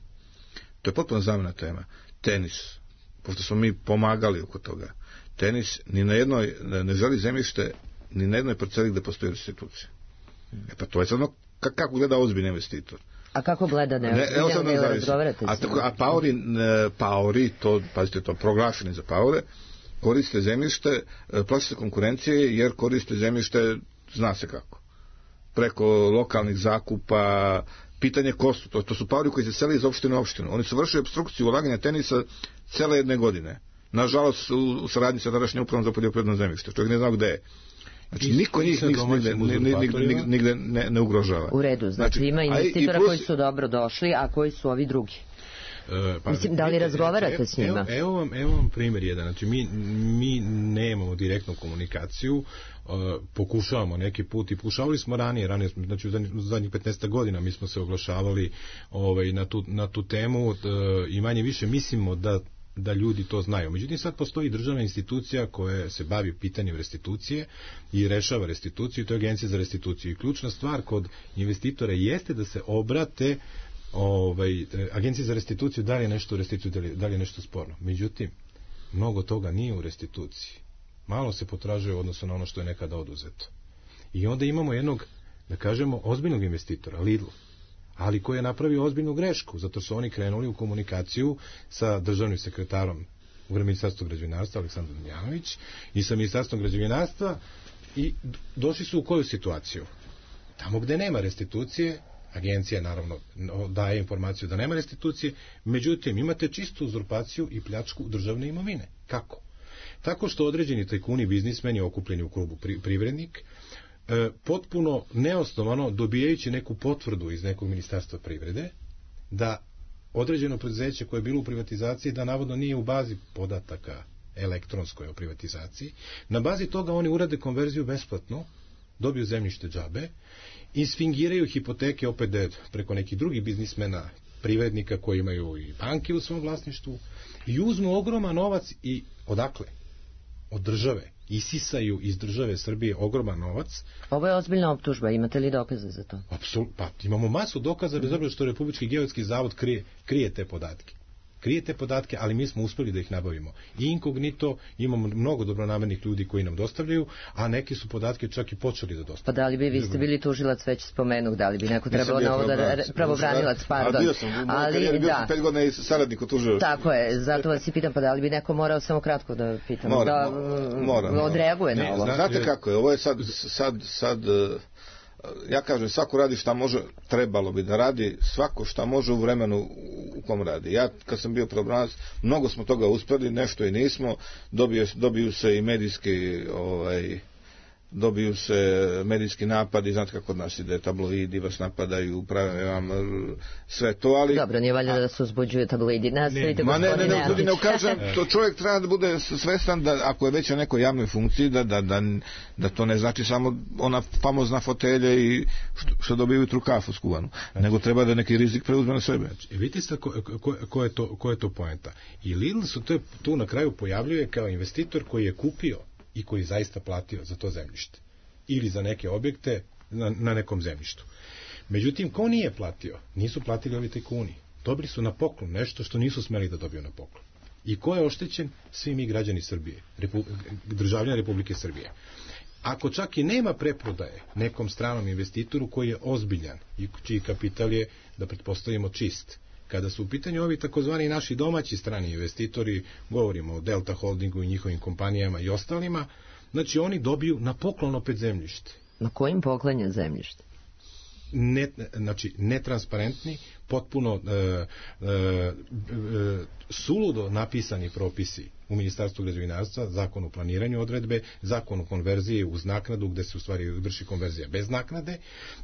To je potpuno zamena tema. Tenis, pošto smo mi pomagali oko toga, Tenis ni na jednoj, ne želi zemljište ni na jednoj parceli gde postoji restitucija. E pa to je sad ono kako gleda ozbiljni investitor. A kako gleda neozbiljno, ne, ne razgovarate a, tako, a paori, ne, paori, to, pazite, to proglašeni za paore, koriste zemljište, plaće konkurencije jer koriste zemljište, zna se kako. Preko lokalnih zakupa, pitanje kostu, to, to su paori koji se seli iz opštine u opštinu. Oni su vršili obstrukciju ulaganja tenisa cele jedne godine. Nažalost, u, u saradnji sa tadašnjom upravom za poljoprivredno zemljište. Čovjek ne znao gde je. Znači, niko njih nigde, nigde, nigde ne, ne ugrožava. U redu, znači, znači ima investitora plus... koji su dobro došli, a koji su ovi drugi? E, pa, Mislim, da li razgovarate evo, s njima? Evo, evo, vam, evo vam primjer jedan. Znači, mi, mi nemamo direktnu komunikaciju, uh, pokušavamo neki put i pokušavali smo ranije, ranije znači u zadnjih, zadnjih petnaest godina mi smo se oglašavali ovaj, na, tu, na tu temu uh, i manje više mislimo da da ljudi to znaju. Međutim, sad postoji državna institucija koja se bavi pitanjem restitucije i rešava restituciju, to je Agencija za restituciju. I ključna stvar kod investitora jeste da se obrate ovaj, Agenciji za restituciju da li je nešto u restituciji, da li je nešto sporno. Međutim, mnogo toga nije u restituciji. Malo se potražuje u odnosu na ono što je nekada oduzeto. I onda imamo jednog, da kažemo, ozbiljnog investitora, Lidl, ali koji je napravio ozbiljnu grešku, zato su oni krenuli u komunikaciju sa državnim sekretarom u Ministarstvu građevinarstva, Aleksandar Damjanović, i sa Ministarstvom građevinarstva i došli su u koju situaciju? Tamo gde nema restitucije, agencija naravno daje informaciju da nema restitucije, međutim imate čistu uzurpaciju i pljačku državne imovine. Kako? Tako što određeni tajkuni, biznismeni okupljeni u krugu privrednik, E, potpuno neosnovano dobijajući neku potvrdu iz nekog ministarstva privrede da određeno preduzeće koje je bilo u privatizaciji da navodno nije u bazi podataka elektronskoj o privatizaciji, na bazi toga oni urade konverziju besplatno, dobiju zemljište džabe i sfingiraju hipoteke opet preko nekih drugih biznismena, privrednika koji imaju i banke u svom vlasništvu i uzmu ogroman novac i odakle? Od države. Isisaju iz države Srbije ogroman novac. Ovo je ozbiljna optužba, imate li dokaze za to? Apsolutno, pa imamo masu dokaza bez obzira što Republički geodetski zavod krije, krije te podatke. Krije te podatke, ali mi smo uspeli da ih nabavimo. I inkognito, imamo mnogo dobronamernih ljudi koji nam dostavljaju, a neki su podatke čak i počeli da dostavljaju. Pa da li bi vi ste bili tužilac, već spomenuh, da li bi neko trebalo na ovo da pravobranilac, pardon. Ali bio sam, ali da. Pet godina i saradnik u tužilaštvu. Tako je, zato vas i pitam, pa da li bi neko morao samo kratko da pitam, mora, da mora, mora. odreaguje ne, na ovo. Znate kako je, ovo je sad, sad, sad ja kažem, svako radi šta može, trebalo bi da radi, svako šta može u vremenu u kom radi. Ja, kad sam bio pravobranilac, mnogo smo toga uspeli, nešto i nismo, dobiju, dobiju se i medijski, ovaj, dobiju se medijski napadi, znate kako kod nas ide, tabloidi vas napadaju, prave vam sve to, ali... Dobro, nije valjda da se uzbuđuje tabloidi, nastavite ma ne, ne, ne, ne, ne ukažem, to čovjek treba da bude svestan da ako je već na nekoj javnoj funkciji, da, da, da, da to ne znači samo ona famozna fotelja i što, što dobiju jutru kafu skuvanu, nego treba da neki rizik preuzme na sebe. I vidite ste ko, ko, ko, je to, ko je to poenta. I Lidl su to, tu na kraju pojavljuje kao investitor koji je kupio i koji zaista platio za to zemljište ili za neke objekte na, na nekom zemljištu. Međutim, ko nije platio? Nisu platili ovi tajkuni. Dobili su na poklon nešto što nisu smeli da dobiju na poklon. I ko je oštećen? Svi mi građani Srbije, Repu, državljani Republike Srbije. Ako čak i nema preprodaje nekom stranom investitoru koji je ozbiljan i čiji kapital je, da pretpostavimo, čist, kada su u pitanju ovi takozvani naši domaći strani investitori, govorimo o Delta Holdingu i njihovim kompanijama i ostalima, znači oni dobiju na poklon opet zemljište. Na kojim poklon je zemljište? Ne, znači netransparentni, potpuno e, e, e, suludo napisani propisi u Ministarstvu građevinarstva, zakon o planiranju odredbe, zakon o konverziji uz naknadu gde se u stvari vrši konverzija bez naknade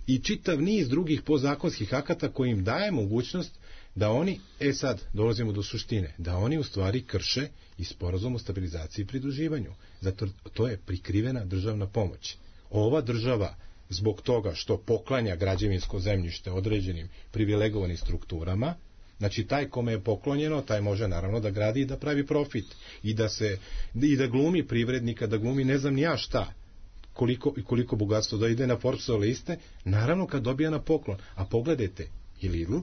i čitav niz drugih podzakonskih akata koji im daje mogućnost da oni, e sad dolazimo do suštine, da oni u stvari krše i sporazum o stabilizaciji i pridruživanju. Zato to je prikrivena državna pomoć. Ova država zbog toga što poklanja građevinsko zemljište određenim privilegovanim strukturama, znači taj kome je poklonjeno, taj može naravno da gradi i da pravi profit i da se i da glumi privrednika, da glumi ne znam ni ja šta, koliko i koliko bogatstvo da ide na Forbesove liste, naravno kad dobija na poklon. A pogledajte i Lidl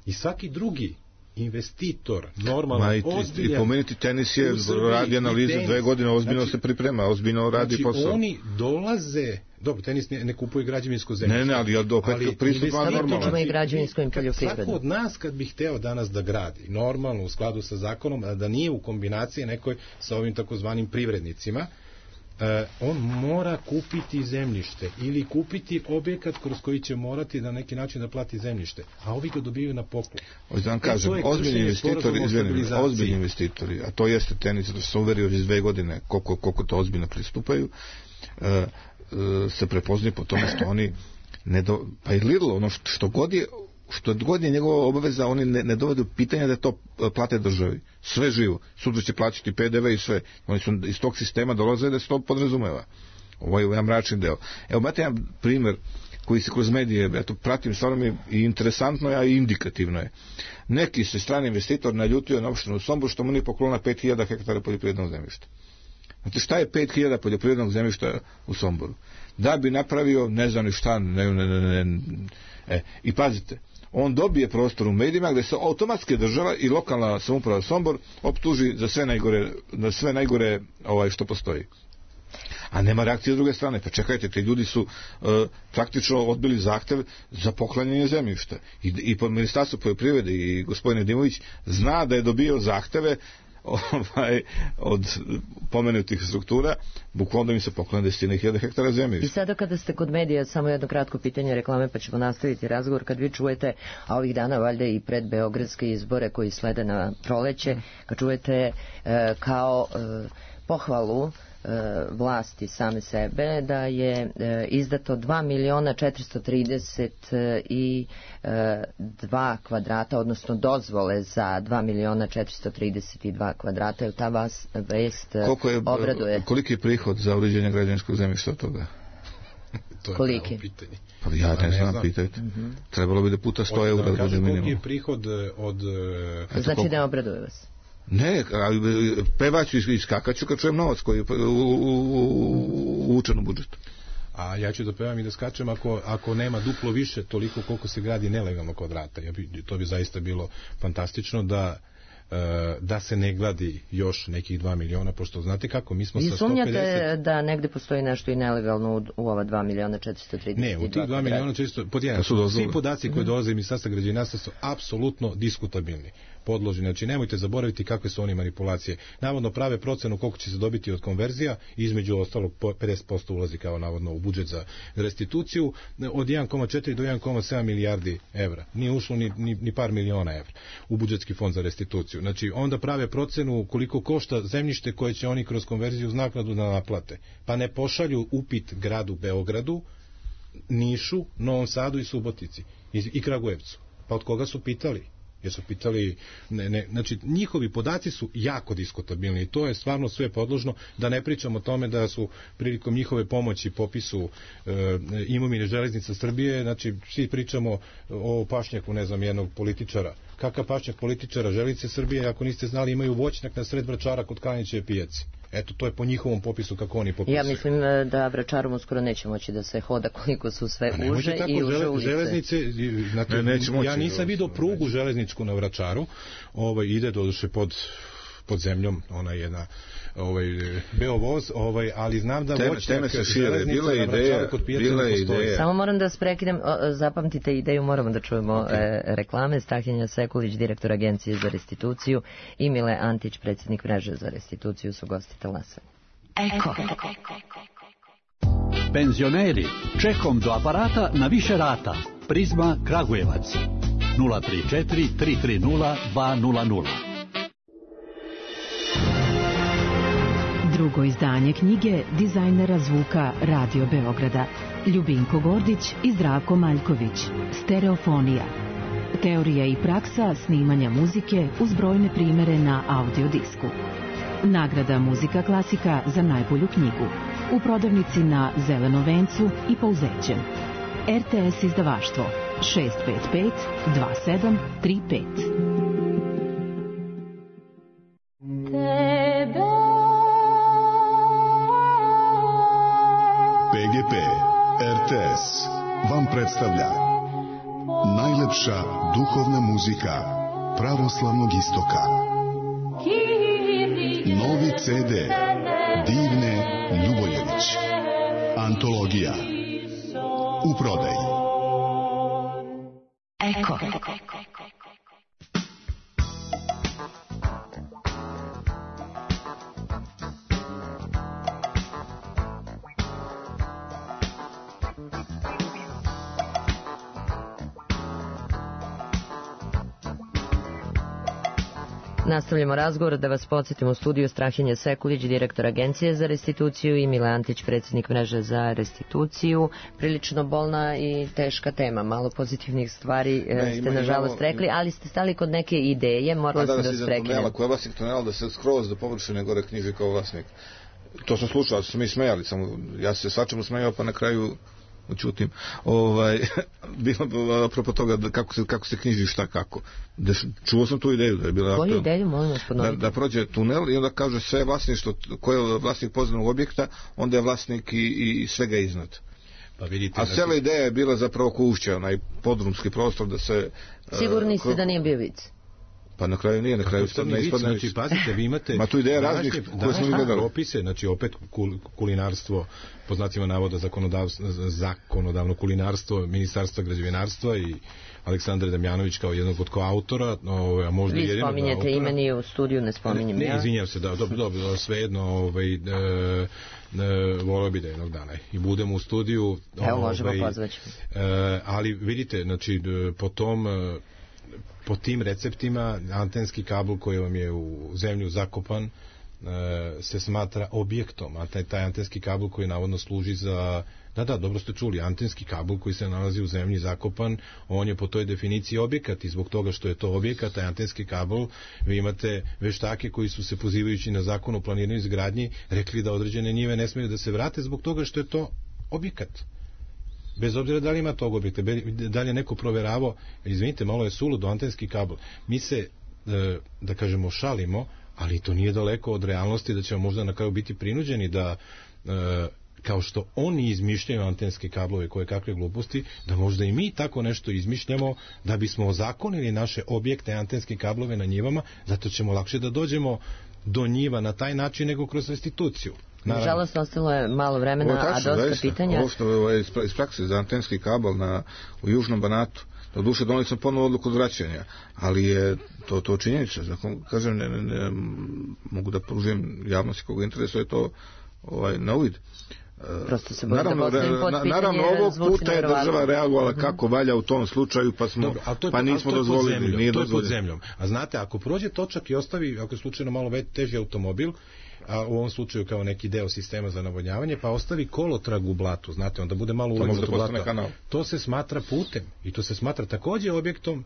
i svaki drugi investitor, normalno, Ma i, ozbiljan... I pomenuti tenis je, radi analize dve godine, ozbiljno znači, se priprema, ozbiljno radi znači, posao. Oni dolaze, dobro, tenis ne, ne kupuje građevinsko zemljište. Ne, ne, ali opet pristupa normalno. Znači, i građevinsko i poljoprivredno. Svako od nas kad bi hteo danas da gradi, normalno u skladu sa zakonom, da nije u kombinaciji nekoj sa ovim takozvanim privrednicima, Uh, on mora kupiti zemljište ili kupiti objekat kroz koji će morati na neki način da plati zemljište, a ovi ga dobijaju na poklon. Hoću vam kažem, ozbiljni investitori, izvinim, ozbiljni investitori, a to jeste tenis, da se uverio iz dve godine koliko, koliko to ozbiljno pristupaju, uh, uh, se prepoznaju po tome što oni ne do, pa i Lidl, ono što, što god je što god je njegova obaveza, oni ne, ne dovode u pitanje da to plate državi. Sve živo. Sutra će plaćati P D V i sve. Oni su iz tog sistema dolaze da se to podrazumeva. Ovo je jedan mračni deo. Evo, imate jedan primjer koji se kroz medije, ja to pratim, stvarno mi i interesantno, a i indikativno je. Neki se strani investitor naljutio na opštinu Sombor što mu nije poklona pet hiljada hektara poljoprivrednog zemljišta. Znate šta je pet hiljada poljoprivrednog zemljišta u Somboru? Da bi napravio, ne znam ni šta, ne, ne, ne, ne, e, i pazite, on dobije prostor u medijima gde se automatski država i lokalna samouprava Sombor optuži za sve najgore, za sve najgore ovaj, što postoji. A nema reakcije s druge strane. Pa čekajte, ti ljudi su uh, praktično odbili zahtev za poklanjanje zemljišta. I, i pod Ministarstvo poljoprivrede i gospodin Dimović zna da je dobio zahteve ovaj, od pomenutih struktura, bukvalno im se poklanja desetine hiljada hektara zemlje. I sada kada ste kod medija, samo jedno kratko pitanje reklame, pa ćemo nastaviti razgovor. Kad vi čujete, a ovih dana valjda i pred beogradske izbore koji slede na proleće, kad čujete e, kao e, pohvalu vlasti same sebe da je e, izdato dva miliona četiristo trideset dva kvadrata, odnosno dozvole za dva miliona četiristo trideset dva kvadrata, je ta vas vest je, obraduje. Koliki je prihod za uređenje građevinskog zemljišta od toga? To je koliki? Pitanje. Pa ja ne, ne znam, znam, pitajte. Mm-hmm. Trebalo bi da puta sto eura. Da kažem koliki je prihod od... Eto, znači koliko... ne obraduje vas? Ne, ali pevaću i skakaću kad čujem novac koji je uvučen u budžetu. A ja ću da pevam i da skačem ako, ako nema duplo više toliko koliko se gradi nelegalno kvadrata. Ja bi, to bi zaista bilo fantastično da da se ne gladi još nekih dva miliona, pošto znate kako, mi smo sa sto pedeset... I sumnjate da negde postoji nešto i nelegalno u, u ova dva miliona četiristo trideset dva? Ne, u tih dva miliona četiristo... Pod jedan, svi podaci koji dolaze iz Ministarstva građevinarstva su apsolutno diskutabilni, podložni. Znači, nemojte zaboraviti kakve su oni manipulacije. Navodno prave procenu koliko će se dobiti od konverzija, između ostalog pedeset posto ulazi kao navodno u budžet za restituciju, od jedan zarez četiri do jedan zarez sedam milijardi evra. Nije ušlo ni, ni, ni par miliona evra u budžetski fond za restituciju. Znači, onda prave procenu koliko košta zemljište koje će oni kroz konverziju uz naknadu da naplate. Pa ne pošalju upit gradu Beogradu, Nišu, Novom Sadu i Subotici i, i Kragujevcu. Pa od koga su pitali? Jer su pitali, ne, ne, znači njihovi podaci su jako diskutabilni i to je stvarno sve podložno, da ne pričamo o tome da su prilikom njihove pomoći popisu e, imovine Železnica Srbije, znači svi pričamo o pašnjaku, ne znam, jednog političara. Kakav pašnjak političara Železnice Srbije, ako niste znali, imaju voćnjak na sred Vračara kod Kanjićeve pijace. Eto, to je po njihovom popisu kako oni popisuju. Ja mislim da Vračarom uskoro neće moći da se hoda koliko su sve uže i uže žele, ulice. Železnice, znate, ne, neće moći, ja nisam vidio prugu železničku na Vračaru, ovaj, ide doduše pod pod zemljom, ona je jedna ovaj Beovoz, ovaj, ali znam da voćnjak železnica na Vračaru kod pijace ne postoji. Samo moram da vas prekidem, zapamtite ideju, moramo da čujemo okay. reklame. Stahija Sekulić, direktor Agencije za restituciju, i Mile Antić, predsjednik mreže za restituciju, su gosti Talasa. Eko. Penzioneri, čekom do aparata na više rata. Prizma Kragujevac nula tri četiri tri tri nula dva nula nula. Drugo izdanje knjige dizajnera zvuka Radio Beograda Ljubinko Gordić i Zdravko Maljković. Stereofonija. Teorija i praksa snimanja muzike uz brojne primere na audiodisku. Nagrada Muzika klasika za najbolju knjigu. U prodavnici na Zelenom vencu i Pouzećem. R T S izdavaštvo šest pet pet dva sedam tri pet. P G P R T S vam predstavlja najlepša duhovna muzika pravoslavnog istoka. Novi ce de Divne Ljuboljević. Antologija. U prodaji. Eko. Nastavljamo razgovor, da vas podsjetimo u studiju Strahinja Sekulić, direktor Agencije za restituciju, i Mile Antić, predsjednik mreže za restituciju. Prilično bolna i teška tema, malo pozitivnih stvari ne, ste nažalost rekli, ali ste stali kod neke ideje, morali ste da vas prekinem. Ako je vlasnik tunela da se skroz do površine gore knjiži kao vlasnik. To sam slušao, su mi smejali, samo ja se svačemu smejao, pa na kraju učutim. Ovaj, bilo apropo toga da kako, se, kako se knjiži šta kako. Da, čuo sam tu ideju. Da je bila Koju ideju, molim vas da, da prođe tunel i onda kaže sve vlasništvo, ko je vlasnik podzemnog objekta, onda je vlasnik i, i svega iznad. Pa vidite, a cijela znači... ideja je bila zapravo Kušća, onaj podrumski prostor da se... Sigurni uh, ste da nije bio vic? Pa na kraju nije, na kraju ispadne, ne ispadne. Znači, pazite, vi imate... Ma tu ideja raznih koje smo gledali. Propise, znači opet kul, kulinarstvo, po znacima navoda zakonodavno kulinarstvo, Ministarstva građevinarstva i Aleksandar Damjanović kao jednog od koautora, a možda vi spominjete imeni u studiju, ne spominjem ne, ja. Ne, izvinjam se, da, dobro, dobro, svejedno, ovaj, e, e, volio bi da jednog dana i budemo u studiju. Evo, možemo ovaj, pozvaći. E, ali vidite, znači, po tom... po tim receptima antenski kabel koji vam je u zemlju zakopan e, se smatra objektom, a taj, taj antenski kabel koji navodno služi za, da da, dobro ste čuli, antenski kabel koji se nalazi u zemlji zakopan, on je po toj definiciji objekat i zbog toga što je to objekat, taj antenski kabel, vi imate veštake koji su se pozivajući na zakon o planiranju i izgradnji rekli da određene njive ne smiju da se vrate zbog toga što je to objekat. Bez obzira da li ima tog objekta, da li je neko proveravao, izvinite, malo je suludo, antenski kabel. Mi se, da kažemo, šalimo, ali to nije daleko od realnosti da ćemo možda na kraju biti prinuđeni da, kao što oni izmišljaju antenske kablove koje kakve gluposti, da možda i mi tako nešto izmišljamo da bismo ozakonili naše objekte, antenske kablove na njivama, zato ćemo lakše da dođemo do njiva na taj način nego kroz restituciju. Nažalost, ostalo je malo vremena, tačno, a dosta zaista, pitanja. Ovo što je iz prakse za antenski kabel na, u Južnom Banatu, do duše donali sam ponovo odluku od vraćanja, ali je to, to činjenica. Znači, kažem, ne, ne, ne, mogu da pružim javnosti koga interesuje to ovaj, na uvid. Prosto se naravno, da na, naravno ovog puta je država reagovala kako valja u tom slučaju, pa smo Dobro, je, pa nismo dozvolili, zemljom, nije to dozvolili. Je pod zemljom. A znate, ako prođe točak i ostavi, ako je slučajno malo teži automobil, a u ovom slučaju kao neki deo sistema za navodnjavanje, pa ostavi kolotrag u blatu, znate, onda bude malo ulegnuto blato. To se smatra putem i to se smatra takođe objektom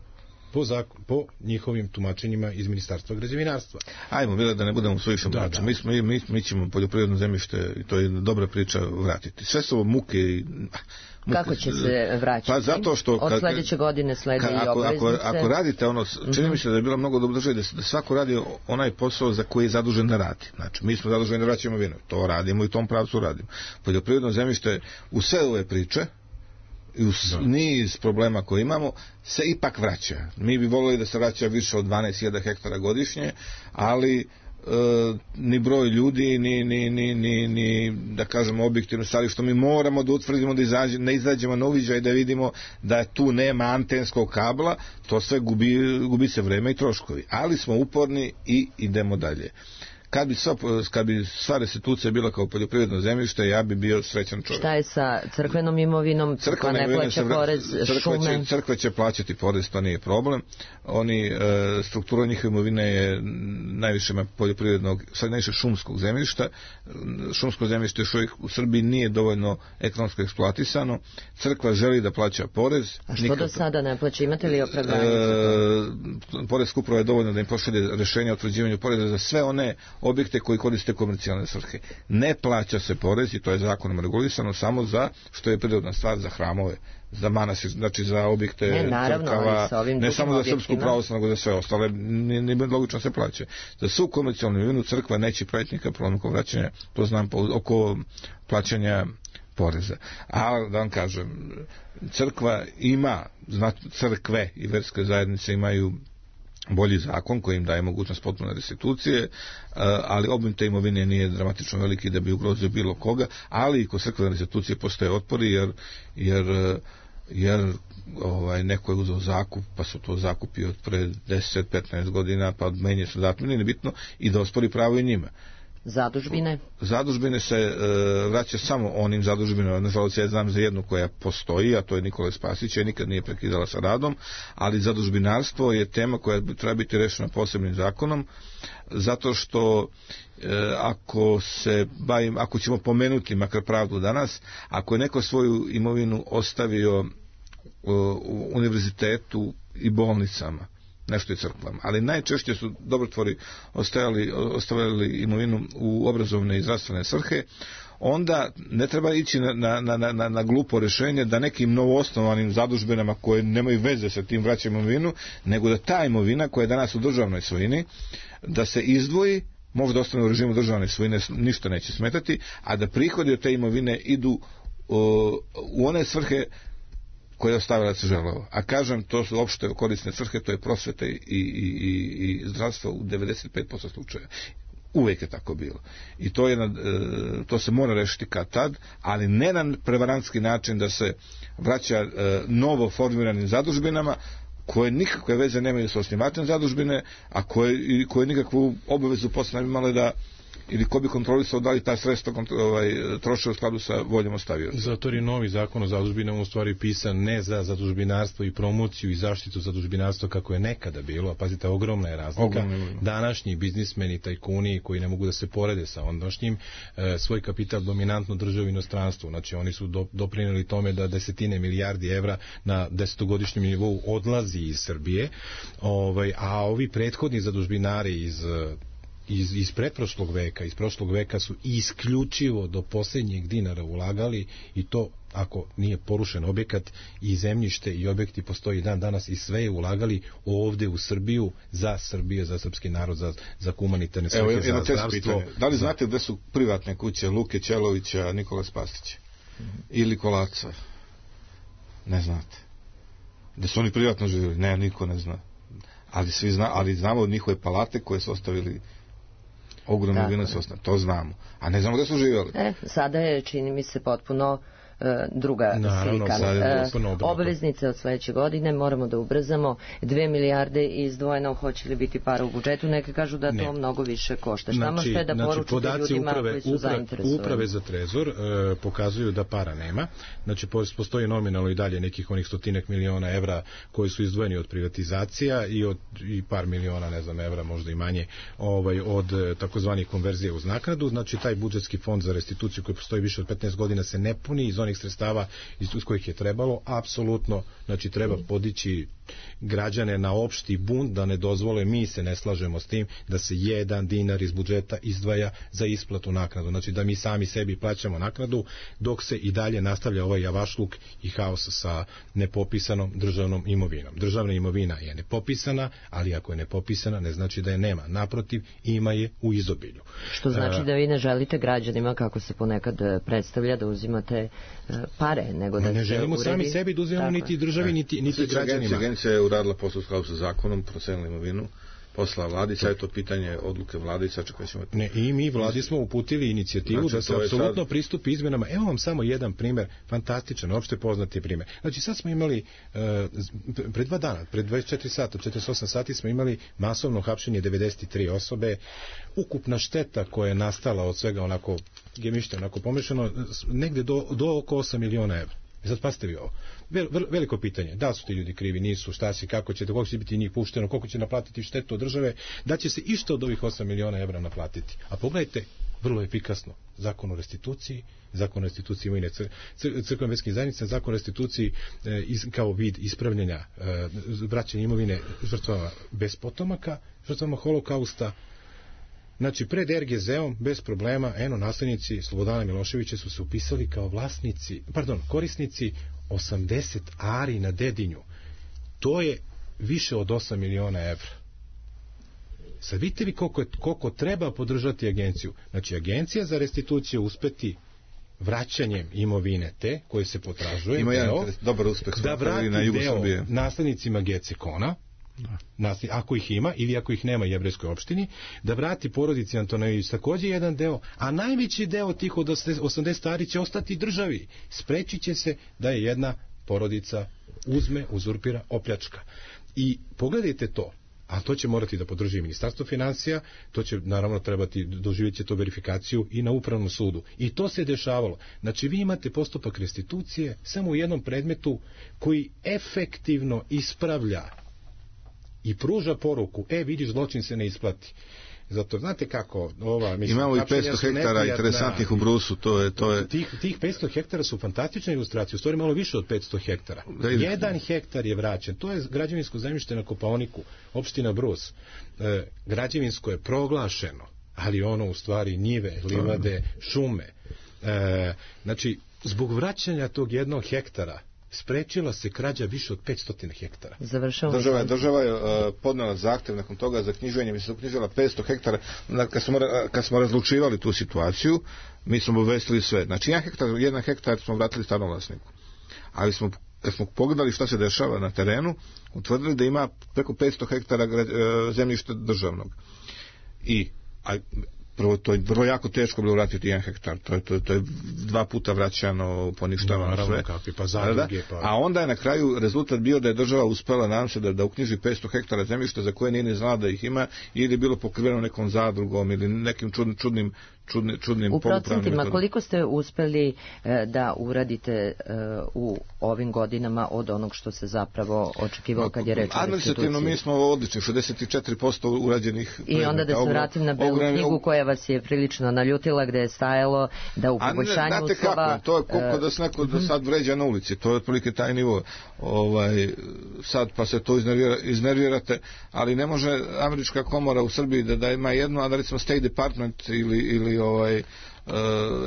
po, zakon, po njihovim tumačenjima iz Ministarstva građevinarstva. Ajmo, bilo da ne budemo suviše mračni. Da, mi, smo, mi, mi ćemo poljoprivredno zemljište, i to je dobra priča, vratiti. Sve su ovo muke i... Muke. Kako će se vraćati? Pa zato što... Od sledeće godine sledi i obveznice. Ako, ako radite ono, čini mi se da je bilo mnogo dobro državi, da, da svako radi onaj posao za koji je zadužen da radi. Znači, mi smo zaduženi da vraćamo vino. To radimo i u tom pravcu radimo. Poljoprivredno zemljište u sve ove priče i uz niz problema koje imamo se ipak vraća. Mi bi volili da se vraća više od dvanaest hiljada hektara godišnje, ali e, ni broj ljudi ni, ni, ni, ni, ni da kažemo objektivno stvari što mi moramo da utvrdimo da izađe, ne izađemo na uviđaj da vidimo da tu nema antenskog kabla, to sve gubi, gubi se vreme i troškovi, ali smo uporni i idemo dalje. Kad bi, sva, kad bi sva restitucija bila kao poljoprivredno zemljište, ja bi bio srećan čovjek. Šta je sa crkvenom imovinom? Crkva ne plaća porez, crkva šume? Će, crkva će plaćati porez, to nije problem. Oni, e, struktura njihove imovine je najviše poljoprivrednog, sad najviše šumskog zemljišta. Šumsko zemljište još uvijek u Srbiji nije dovoljno ekonomsko eksploatisano. Crkva želi da plaća porez. A što do sada ne plaća? Imate li opravdanje? E, Porezka uprava je dovoljno da im pošalje rešenje o utvrđivanju poreza za sve one objekte koji koriste komercijalne svrhe. Ne plaća se porez i to je zakonom regulisano samo za, što je prirodna stvar, za hramove, za manastir, znači za objekte ne, naravno, crkava, ne samo za srpsku pravoslavnu, nego za sve ostale, nije ni logično se plaća. Za svu komercijalnu imovinu crkva neće praviti nikakav problem oko vraćanja, to znam po, oko plaćanja poreza. A da vam kažem, crkva ima, znači crkve i verske zajednice imaju bolji zakon koji im daje mogućnost potpune restitucije, ali obim te imovine nije dramatično veliki da bi ugrozio bilo koga, ali i kod crkvene restitucije postoje otpori jer, jer, jer ovaj, neko je uzeo zakup, pa su to zakupi od pre deset do petnaest godina, pa menje se datum, nije bitno, i da ospori pravo i njima. Zadužbine? Zadužbine se e, vraća samo onim zadužbinama. Nažalost, ja znam za jednu koja postoji, a to je Nikola Spasić, je nikad nije prekidala sa radom, ali zadužbinarstvo je tema koja treba biti rešena posebnim zakonom, zato što e, ako se bavim, ako ćemo pomenuti makar pravdu danas, ako je neko svoju imovinu ostavio u univerzitetu i bolnicama, nešto i crkvama, ali najčešće su dobrotvori ostavili, ostavili imovinu u obrazovne i zdravstvene svrhe, onda ne treba ići na, na, na, na, na glupo rešenje da nekim novoosnovanim zadužbinama koje nemaju veze sa tim vraćanjem imovinu, nego da ta imovina koja je danas u državnoj svojini, da se izdvoji, možda ostane u režimu državne svojine, ništa neće smetati, a da prihodi od te imovine idu o, u one svrhe koje je ostavila želeo. A kažem, to su opšte korisne svrhe, to je prosveta i, i, i, i zdravstvo u devedeset pet posto slučaja. Uvijek je tako bilo. I to, je, to se mora rešiti kad tad, ali ne na prevarantski način da se vraća novo formiranim zadužbinama koje nikakve veze nemaju sa osnivačem zadužbine, a koje, koje nikakvu obavezu posle ne bi imale da ili ko bi kontrolisao da li ta sredstva ovaj, troše u skladu sa voljom ostavioca. Zato je novi zakon o zadužbinama u stvari pisan ne za zadužbinarstvo i promociju i zaštitu zadužbinarstva kako je nekada bilo, a pazite, ogromna je razlika. Ogromna. Današnji biznismeni, tajkuni koji ne mogu da se porede sa ondašnjim, e, svoj kapital dominantno drže u inostranstvu. Znači oni su do, doprineli tome da desetine milijardi evra na desetogodišnjem nivou odlazi iz Srbije, ovaj, a ovi prethodni zadužbinari iz iz, iz pretprošlog veka, iz prošlog veka su isključivo do posljednjeg dinara ulagali, i to ako nije porušen objekat i zemljište i objekti postoji dan danas, i sve je ulagali ovde u Srbiju, za Srbiju, za srpski narod, za, za humanitarne svrhe, za zdravstvo. Da li znate gde su privatne kuće Luke Ćelovića, Nikola Spasića ili Kolaca? Ne znate. Da su oni privatno živjeli? Ne, niko ne zna. Ali, svi zna, ali znamo od njihove palate koje su ostavili ogromno vino, to znamo. A ne znamo gde su živjeli. E, sada je, čini mi se, potpuno e, druga Naravno, slika. E, obveznice od sledeće godine moramo da ubrzamo. Dve milijarde izdvojeno, hoće li biti para u budžetu? Neke kažu da to ne. mnogo više košta. Šta znači, možete da znači, poručite ljudima uprave, koji su uprave, zainteresovani? Uprave za trezor e, pokazuju da para nema. Znači, postoji nominalno i dalje nekih onih stotinak miliona evra koji su izdvojeni od privatizacija i od i par miliona, ne znam, evra, možda i manje, ovaj, od takozvanih konverzija uz naknadu. Znači, taj budžetski fond za restituciju koji postoji više od petnaest godina se ne puni iz onih sredstava iz kojih je trebalo. Apsolutno, znači, treba podići građane na opšti bunt da ne dozvole, mi se ne slažemo s tim da se jedan dinar iz budžeta izdvaja za isplatu naknadu. Znači, da mi sami sebi plaćamo naknadu dok se i dalje nastavlja ovaj javašluk i haos sa nepopisanom državnom imovinom. Državna imovina je nepopisana, ali ako je nepopisana ne znači da je nema. Naprotiv, ima je u izobilju. Što znači da vi ne želite građanima, kako se ponekad predstavlja, da uzimate pare, nego da ne se želimo uredi... sami sebi da uzimamo niti državi, niti, niti građanima. Agencija je uradila posao u skladu sa zakonom, procenila imovinu, posla vladi, sad je to pitanje odluke vlade i sad čekaj ćemo... Ne, i mi vladi smo uputili inicijativu znači, da se apsolutno sad... pristupi izmenama. Evo vam samo jedan primer, fantastičan, opšte poznati primer. Znači, sad smo imali, uh, pred dva dana, pred dvadeset četiri sata, četrdeset osam sati smo imali masovno hapšenje devedeset tri osobe, ukupna šteta koja je nastala od svega onako gemište, onako pomešano, negde do, do oko osam miliona evra. I sad pasite vi ovo. Vel, veliko pitanje, da li su ti ljudi krivi, nisu, šta si, kako će, koliko će biti njih pušteno, koliko će naplatiti štetu od države, da će se išto od ovih osam miliona evra naplatiti. A pogledajte, vrlo efikasno, zakon o restituciji, zakon o restituciji imovine cr, cr, crkvene verske zajednice, zakon o restituciji e, iz, kao vid ispravljanja e, vraćanja imovine žrtvama bez potomaka, žrtvama holokausta. Znači, pred er ge zeom, bez problema, eno, naslednici Slobodana Miloševića su se upisali kao vlasnici, pardon, korisnici osamdeset ari na Dedinju. To je više od osam miliona evra. Sad vidite vi koliko, je, koliko treba podržati agenciju. Znači, agencija za restituciju uspeti vraćanjem imovine te koje se potražuje. Ima jedan dobar uspeh da vrati na jugu deo Srbije. Naslednicima Gecekona, nasli, ako ih ima ili ako ih nema jevrejskoj opštini, da vrati porodici Antonović takođe jedan deo, a najveći deo tih od osamdeset stari će ostati državi. Sprečit će se da je jedna porodica uzme, uzurpira, opljačka. I pogledajte to, a to će morati da podrži Ministarstvo financija, to će naravno trebati, doživjet će to verifikaciju i na upravnom sudu. I to se dešavalo. Znači vi imate postupak restitucije samo u jednom predmetu koji efektivno ispravlja i pruža poruku, e vidiš, zločin se ne isplati. Zato znate kako ova, mislim, imamo i petsto hektara interesantnih u Brusu, to je, to je... Tih, tih petsto hektara su fantastične ilustracije, u stvari malo više od petsto hektara. Jedan hektar je vraćen, to je građevinsko zemljište na Kopaoniku, opština Brus. E, građevinsko je proglašeno, ali ono u stvari njive, livade, šume. E, znači, zbog vraćanja tog jednog hektara sprečila se krađa više od petsto hektara. Završamo. Država je, država je uh, podnela zahtev nakon toga za knjiženje, mi se uknjižila petsto hektara. Kad smo, kad smo razlučivali tu situaciju, mi smo obavestili sve. Znači, jedan hektar, jedan hektar smo vratili stanovlasniku. Ali smo, kad smo pogledali šta se dešava na terenu, utvrdili da ima preko petsto hektara uh, zemljišta državnog. I a, prvo, to je vrlo jako teško bilo vratiti jedan hektar, to je, to, to je dva puta vraćano, poništavano no, sve. Kakvi, pa zadruge, pa... A onda je na kraju rezultat bio da je država uspela, nadam se, da, da uknjiži petsto hektara zemljišta za koje nije ni znala da ih ima, ili je bilo pokriveno nekom zadrugom ili nekim čudnim, čudnim Čudni, čudnim u procentima koliko ste uspeli e, da uradite e, u ovim godinama od onog što se zapravo očekivalo kad je reč o restituciji? Administrativno mi smo odlični, šezdeset četiri posto urađenih. I onda da se vratim na belu ogran, knjigu koja vas je prilično naljutila, gde je stajalo da u poboljšanju uslova... Kako, to je koliko e, da se neko da sad vređa na ulici, to je otprilike taj nivo. Ovaj, sad pa se to iznervira, iznervirate, ali ne može Američka komora u Srbiji da, da ima jedno, a da recimo State Department ili, ili ovaj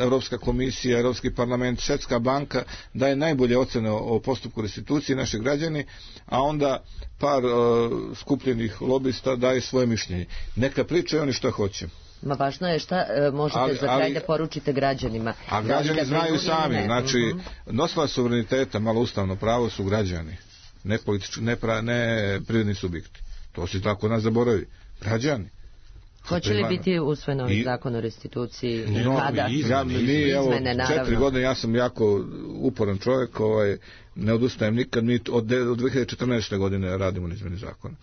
Evropska komisija, Evropski parlament, Svetska banka daje najbolje ocene o postupku restitucije naših građani, a onda par uh, skupljenih lobista daje svoje mišljenje. Neka pričaju oni što hoće. Ma važno je šta e, možete ali, za kraj ali, da poručite građanima. A građani da znaju sami, znači uh-huh. nosilac suvereniteta, malo ustavno pravo su građani, ne politički, ne, pra, ne privredni subjekti. To se tako nas zaboravi. Građani. Hoće li biti usvojen ovaj zakon o restituciji? No, kada? Ja, mi, evo, četiri godine, ja sam jako uporan čovjek, ovaj, ne odustajem nikad, mi od, od dve hiljade četrnaeste. godine radimo na izmeni zakona.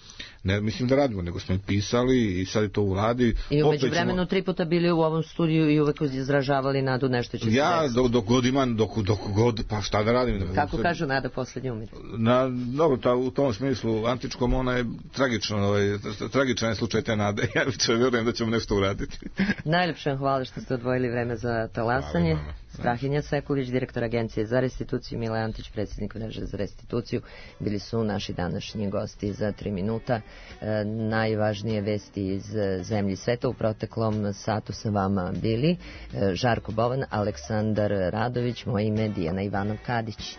Ne mislim da radimo, nego smo pisali i sad je to u vladi. I umeđu vremenu ćemo... tri puta bili u ovom studiju i uvek izražavali nadu nešto će se ja, desiti. Ja, dok god imam, dok, dok god, pa šta da radim? Da Kako kažu nada poslednji umir? Na, dobro, ta, u tom smislu, antičkom, ona je tragično, ovaj, tragičan je slučaj te nade. Ja više vjerujem da ćemo nešto uraditi. Najlepše hvala što ste odvojili vreme za talasanje. Strahinja Sekulić, direktor Agencije za restituciju, Mile Antić, predsjednik Mreže za restituciju, bili su naši današnji gosti za tri minuta. E, najvažnije vesti iz zemlji sveta u proteklom satu sa vama bili e, Žarko Bovan, Aleksandar Radović, moje ime Dijana Ivanov Kadić.